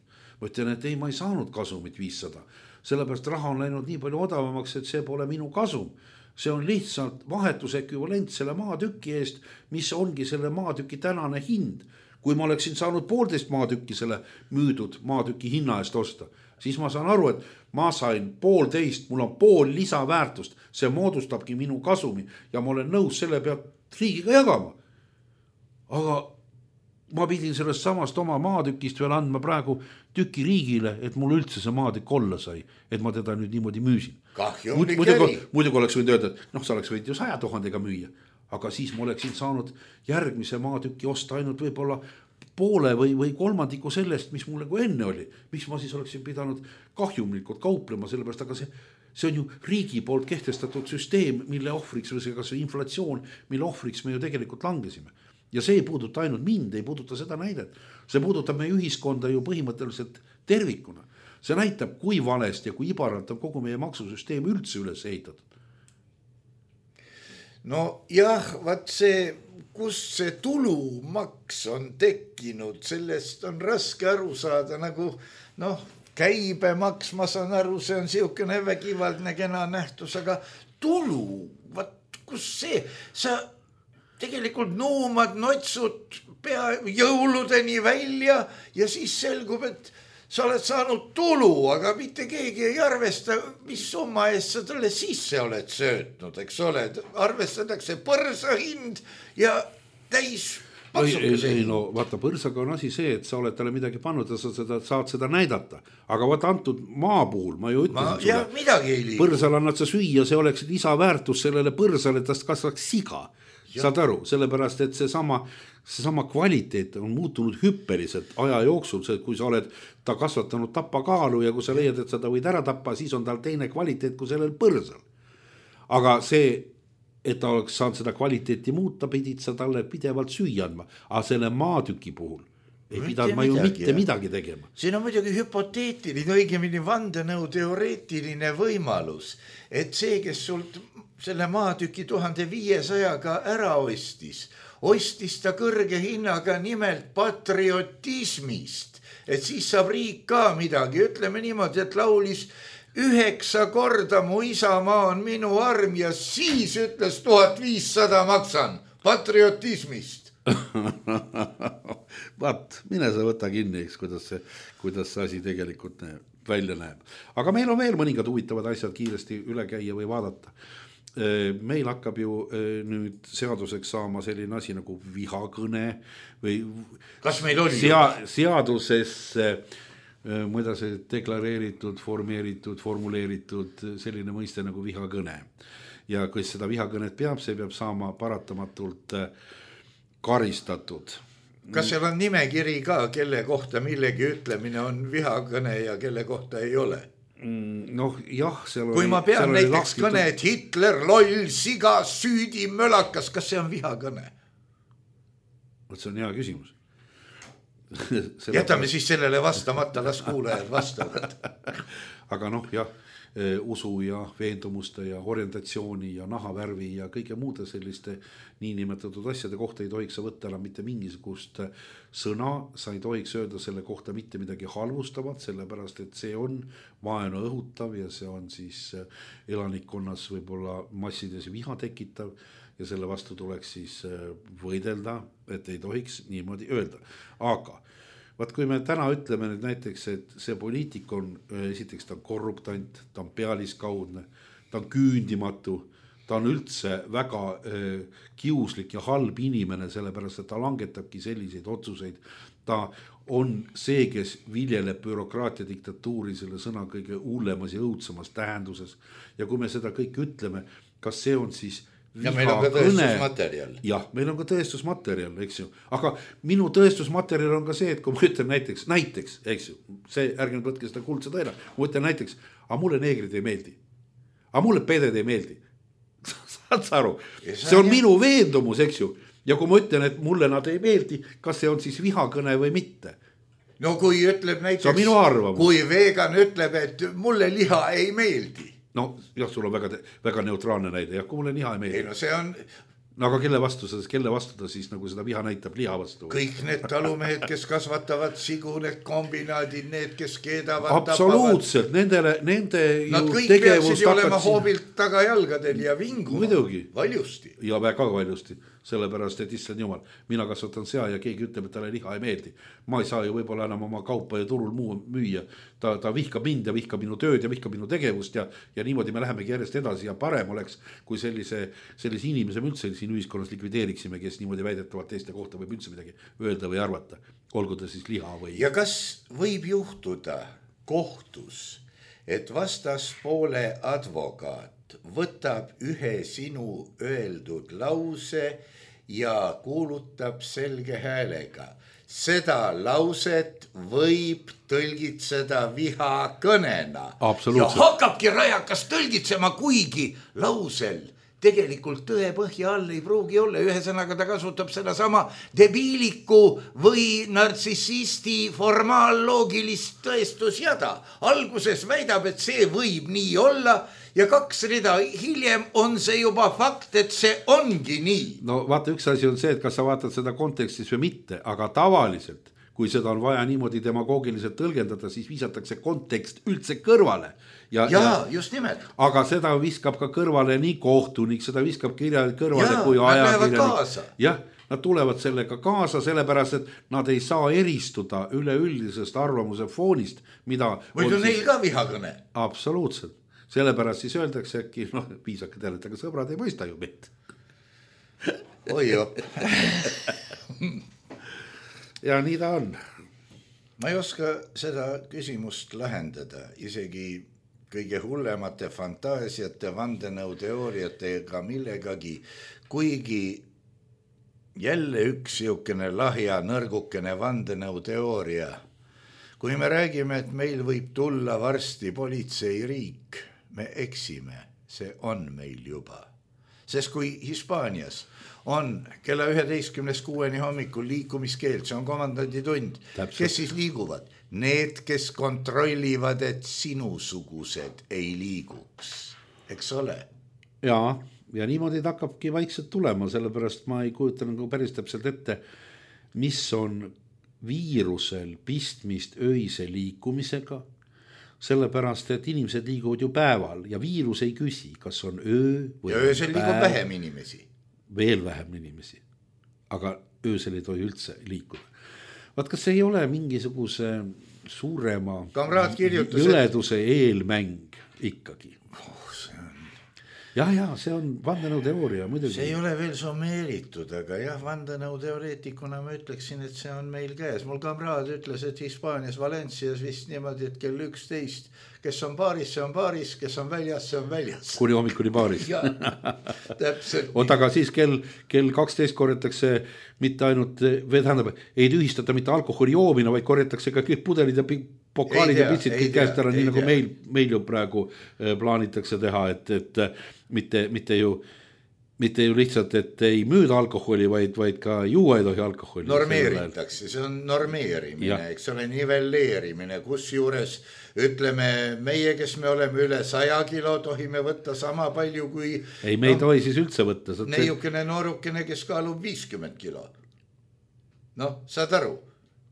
Ma ütlen, et ei, ma ei saanud kasumit 500. Sellepärast raha on läinud nii palju odavamaks, et see pole minu kasum. See on lihtsalt vahetusekvivalent selle maatüki eest, mis ongi selle maatüki tänane hind. Kui ma oleksin saanud 1,5 maatükki selle müüdud maatüki hinna eest osta, siis ma saan aru, et ma sain 1,5, mul on pool lisaväärtust. See moodustabki minu kasumi ja ma olen nõus selle pealt riigiga jagama. Aga ma pidin sellest samast oma maatükist veel andma praegu tüki riigile, et mul üldse see maatükk olla sai, et ma teda nüüd niimoodi müüsin. Muidugi oleks võinud öelda, et sa oleks võinud ju 100 000 müüa, aga siis ma oleksin saanud järgmise maatüki osta ainult võib-olla poole või kolmandiku sellest, mis mul nagu enne oli. Miks ma siis oleksin pidanud kahjumlikult kauplema, sellepärast, aga see on ju riigi poolt kehtestatud süsteem, mille ohvriks või kas inflatsioon, mille ohvriks me ju tegelikult langesime. Ja see ei puuduta ainult mind, ei puuduta seda näidet. See puudutab meie ühiskonda ju põhimõtteliselt tervikuna. See näitab, kui valest ja kui ibaralt on kogu meie maksusüsteem üldse üles ehitatud. No jah, vaat see, kus see tulumaks on tekkinud, sellest on raske aru saada, nagu käibemaks, ma saan aru, see on siukene vägivaldne kena nähtus, aga tulu, vaat kus see, sa tegelikult nuumad notsud pea jõuludeni välja ja siis selgub, et sa oled saanud tulu, aga mitte keegi ei arvesta, mis summa eest sa talle sisse oled söötnud, eks ole. Arvestatakse põrsa hind ja täis paksukese. Ei, vaata, põrsaga on asi see, et sa oled talle midagi pannud ja sa saad seda näidata. Aga vaata antud maa puhul, ma ju ütlesin sulle. Ja midagi ei liigu. Põrsal annad sa süüa, see oleks lisaväärtus sellele põrsale, et tast kasvaks siga. Saad aru, sellepärast, et seesama kvaliteet on muutunud hüppeliselt aja jooksul, kui sa oled ta kasvatanud tapakaalu ja kui sa leiad, et sa ta võid ära tappa, siis on tal teine kvaliteet kui sellel põrsal. Aga see, et ta oleks saanud seda kvaliteeti muuta, pidid sa talle pidevalt süüa andma. Aga selle maatüki puhul ei pidanud ma ju mitte midagi tegema. Siin on muidugi hüpoteetiline, õigemini vandenõu teoreetiline võimalus, et see, kes sult selle maatüki 1500-ga ära ostis ta kõrge hinnaga nimelt patriotismist, et siis saab riik ka midagi, ütleme niimoodi, et laulis 9 korda mu isamaa on minu arm ja siis ütles 1500 maksan patriotismist. Vaat, mine sa võta kinni, eks, kuidas see asi tegelikult välja näeb. Aga meil on veel mõningad huvitavad asjad kiiresti üle käia või vaadata. Meil hakkab ju nüüd seaduseks saama selline asi nagu vihakõne või kas meil oli seadusesse muida see deklareeritud, formuleeritud selline mõiste nagu vihakõne. Ja kes seda vihakõnet peab, see peab saama paratamatult karistatud. Kas seal on nimekiri ka, kelle kohta millegi ütlemine on vihakõne ja kelle kohta ei ole? Noh, jah, kui ma pean näiteks kõne, et Hitler, loll, siga, süüdi, mölakas, kas see on vihakõne? See on hea küsimus. Jätame siis sellele vastamata, las kuulajad vastavad. Aga noh, jah, usu ja veendumuste ja orientatsiooni ja nahavärvi ja kõige muude selliste niinimetatud asjade kohta ei tohiks sa võtta enam mitte mingisugust sõna, sa ei tohiks öelda selle kohta mitte midagi halvustavat, sellepärast et see on vaenu õhutav ja see on siis elanikkonnas võib-olla massides viha tekitav ja selle vastu tuleks siis võidelda, et ei tohiks niimoodi öelda. Aga vaat kui me täna ütleme nüüd näiteks, et see poliitik on, esiteks ta on korruptant, ta on pealiskaudne, ta on küündimatu, ta on üldse väga kiuslik ja halb inimene, sellepärast et ta langetabki selliseid otsuseid. Ta on see, kes viljeleb bürokraatia diktatuuri selle sõna kõige hullemas ja õudsemas tähenduses. Ja kui me seda kõik ütleme, kas see on siis ja meil on ka tõestusmaterjal. Jah, meil on ka tõestusmaterjal, eks ju. Aga minu tõestusmaterjal on ka see, et kui ma ütlen näiteks, eks ju, see ärge nüüd võtke seda kuldse tõena, ma ütlen näiteks, aga mulle neegrid ei meeldi, aga mulle peded ei meeldi. Saad sa aru? See on minu veendumus, eks ju. Ja kui ma ütlen, et mulle nad ei meeldi, kas see on siis vihakõne või mitte? No kui ütleb näiteks, kui vegan ütleb, et mulle liha ei meeldi. No jah, sul on väga neutraalne näide, jah, kui mulle liha ei meeldi. Ei, no see on... No aga kelle vastu ta siis nagu seda viha näitab liha vastu? Kõik need talumehed, kes kasvatavad sigu, need kombinaadid, need, kes keedavad, absoluutselt, nende nad ju kõik peaksid ju olema hoobilt tagajalgadel ja vinguma. Muidugi. Valjusti. Ja väga valjusti, sellepärast, et issand jumal, mina kasvatan sea ja keegi ütleb, et talle liha ei meeldi. Ma ei saa ju võib-olla enam oma kaupa ja turul muu müüa. Ta vihkab mind ja vihkab minu tööd ja vihkab minu tegevust ja niimoodi me lähemegi järjest edasi ja parem oleks, kui sellise inimese me üldse siin ühiskonnas likvideeriksime, kes niimoodi väidetavalt teiste kohta võib üldse midagi öelda või arvata, olgu ta siis liha või... Ja kas võib juhtuda kohtus, et vastaspoole advokaat võtab ühe sinu öeldud lause ja kuulutab selge häälega? Seda lauset võib tõlgitseda vihakõnena. Ja hakkabki rajakas tõlgitsema, kuigi lausel tegelikult tõe põhja all ei pruugi olla. Ühesõnaga ta kasutab seda sama debiiliku või nartsissisti formaalloogilist tõestusjada. Alguses väidab, et see võib nii olla ja 2 rida hiljem on see juba fakt, et see ongi nii. No vaata, üks asi on see, et kas sa vaatad seda kontekstis või mitte, aga tavaliselt, kui seda on vaja niimoodi demagoogiliselt tõlgendada, siis visatakse kontekst üldse kõrvale. Ja just nimelt. Aga seda viskab ka kõrvale nii kohtunik, seda viskab kõrvale kui ajakirjanik. Jah, nad tulevad sellega kaasa, sellepärast, et nad ei saa eristuda üleüldisest arvamuse foonist, mida... Või on neil ka vihakõne? Absoluutselt. Sellepärast siis öeldakse äkki, piisake teile, aga sõbrad ei mõista ju mitt. Oi jopp. Ja nii ta on. Ma ei oska seda küsimust lahendada, isegi kõige hullemate fantaasiate, vandenõuteooriatega millegagi, kuigi jälle üks siukene lahja nõrgukene vandenõuteooria. Kui me räägime, et meil võib tulla varsti politseiriik, me eksime, see on meil juba. Sest kui Hispaanias on kella 11:06 hommikul liikumiskeeld, see on komandandi tund, kes siis liiguvad? Need, kes kontrollivad, et sinusugused ei liiguks, eks ole? Ja niimoodi ta hakkabki vaikselt tulema, sellepärast ma ei kujuta nagu päris täpselt ette, mis on viirusel pistmist öise liikumisega, sellepärast, et inimesed liiguvad ju päeval ja viirus ei küsi, kas on öö või ja öösel liigub vähem inimesi. Veel vähem inimesi, aga öösel ei tohi üldse liikuda. Vaat kas ei ole mingisuguse suurema jõleduse eelmäng ikkagi? Ja see on vandenõuteooria muidugi. See ei ole veel summeeritud, aga jah, vandenõuteoreetikuna ma ütleksin, et see on meil käes. Mul kamraad ütles, et Hispaanias Valencias vist niimoodi, et kell 11, kes on baaris, see on baaris, kes on väljas, see on väljas. Kuni hommikuni baaris. Täpselt. Aga siis kell 12 korjatakse mitte ainult, ei tühistata mitte alkoholi joomine, vaid korjatakse ka kõik pudelid ja pokaalid ja pitsid kõik käest ära, nii nagu meil ju praegu plaanitakse teha, et mitte ju lihtsalt, et ei müüda alkoholi, vaid ka juua ei tohi alkoholi. Normeeritakse, see on normeerimine, eks ole, nivelleerimine, kus juures ütleme meie, kes me oleme üle 100 kilo, tohime võtta sama palju kui... Ei, me ei tohi siis üldse võtta. Neiukene noorukene, kes kaalub 50 kilo. Saad aru?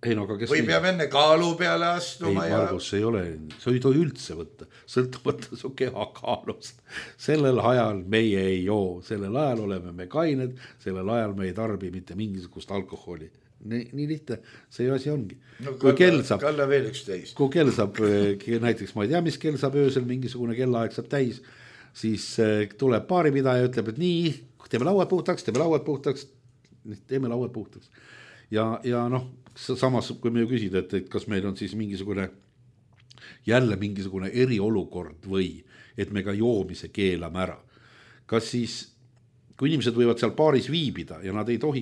Ei, no, aga või peab enne kaalu peale astuma. Ei, Margus, ei ole, sa ei tohi üldse võtta, sõltumata su keha kaalust. Sellel ajal meie ei joo, sellel ajal oleme me kained, sellel ajal me ei tarbi mitte mingisugust alkoholi. Nii lihtne, see asi ongi. Kalla veel 11. Kui kell saab, näiteks ma ei tea, mis kell saab öösel, mingisugune kellaaeg saab täis, siis tuleb baaripidaja ja ütleb, et nii, teeme lauad puhtaks. Ja samas, kui me ju küsida, et kas meil on siis jälle mingisugune eriolukord või et me ka joomise keelame ära. Kas siis, kui inimesed võivad seal baaris viibida ja nad ei tohi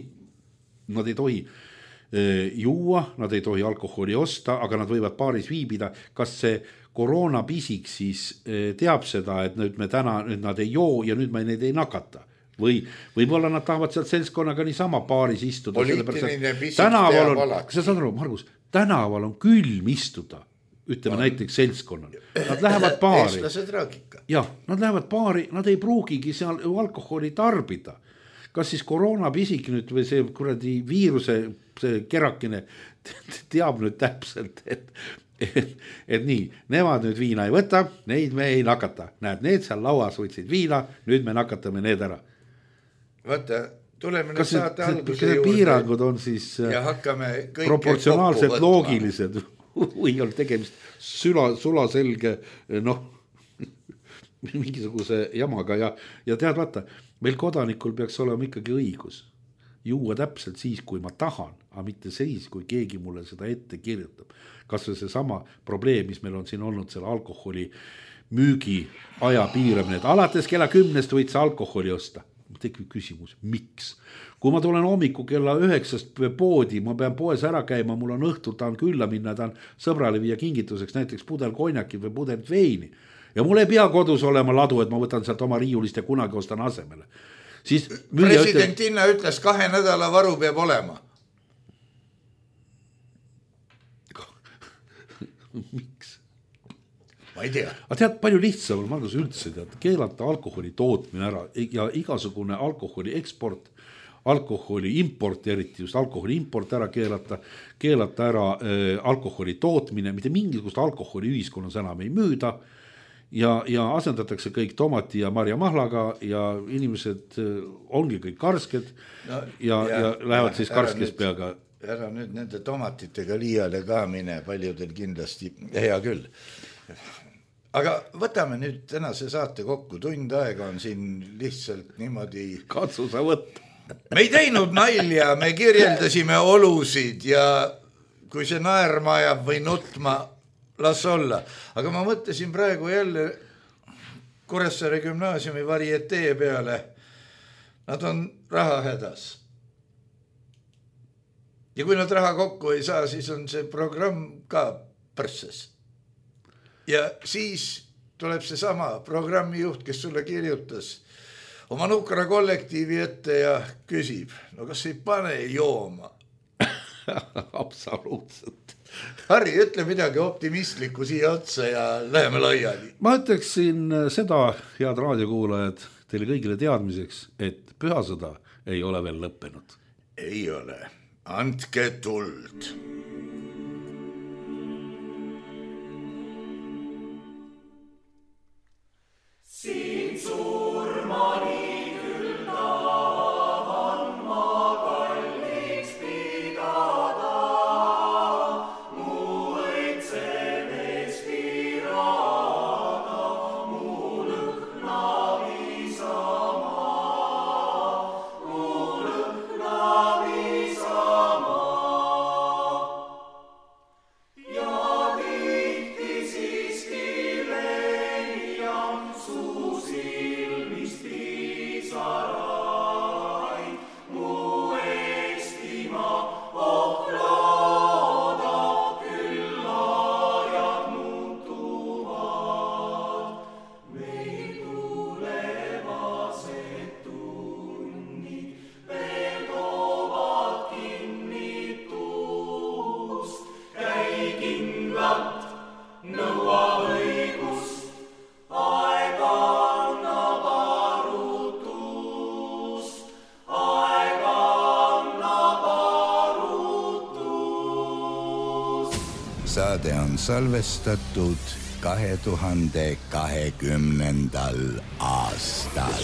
juua, nad ei tohi alkoholi osta, aga nad võivad baaris viibida, kas see koroonapisik siis teab seda, et nüüd nad ei joo ja nüüd me neid ei nakata? Või võib-olla nad tahavad sealt seltskonnaga niisama baaris istuda. Poliitiline pisik teab alati. Kas sa saad aru, Margus, tänaval on külm istuda, ütleme näiteks seltskonnal. Nad lähevad baari. Eestlased raagika. Jah, nad lähevad baari, nad ei pruugigi seal alkoholi tarbida. Kas siis koroonapisik nüüd või see kuradi viiruse see kerakene teab nüüd täpselt, et nii, nemad nüüd viina ei võta, neid me ei nakata. Näed, need seal lauas võtsid viina, nüüd me nakatame need ära. Vaata, tuleme nüüd saate alguse juurde. Piirangud on siis proportsionaalselt loogilised või on tegemist sulaselge mingisuguse jamaga ja tead vaata, meil kodanikul peaks olema ikkagi õigus juua täpselt siis, kui ma tahan, aga mitte siis, kui keegi mulle seda ette kirjutab. Kas või see sama probleem, mis meil on siin olnud selle alkoholi müügi aja piiramine, et alates kella 10 võid sa alkoholi osta. Tekib küsimus, miks? Kui ma tulen hommiku kella 9 poodi, ma pean poes ära käima, mul on õhtul, tahan külla minna, tahan sõbrale viia kingituseks näiteks pudel konjakit või pudel veini. Ja mul ei pea kodus olema ladu, et ma võtan sealt oma riiulist ja kunagi ostan asemele. Siis presidentinna ütles 2 nädala varu peab olema. Miks? Ma ei tea. Aga tead, palju lihtsam on Margus üldse keelata alkoholi tootmine ära ja igasugune alkoholi eksport, alkoholi import, eriti just alkoholi import ära keelata ära alkoholi tootmine, mitte mingisugust alkoholi ühiskonnas enam ei müüda ja asendatakse kõik tomati ja marjamahlaga ja inimesed ongi kõik karsked ja lähevad siis karskes peaga. Ära nüüd nende tomatitega liiale ka mine, paljudel kindlasti hea küll. Aga võtame nüüd tänase saate kokku, tund aega on siin lihtsalt niimoodi... Katsu sa võtta. Me ei teinud nalja, me kirjeldasime olusid ja kui see naerma ajab või nutma, las olla. Aga ma mõtlesin praegu jälle Kuressaare gümnaasiumi varietee peale. Nad on raha hädas. Ja kui nad raha kokku ei saa, siis on see programm ka põrsses. Ja siis tuleb see sama programmijuht, kes sulle kirjutas oma nukra kollektiivi ette ja küsib, no kas ei pane jooma? Absoluutselt. Harri, ütle midagi optimistlikku siia otsa ja läheme laiali. Ma ütleksin seda, head raadiokuulajad, teile kõigile teadmiseks, et pühasõda ei ole veel lõppenud. Ei ole. Andke tuld. saade on salvestatud 2020. aastal.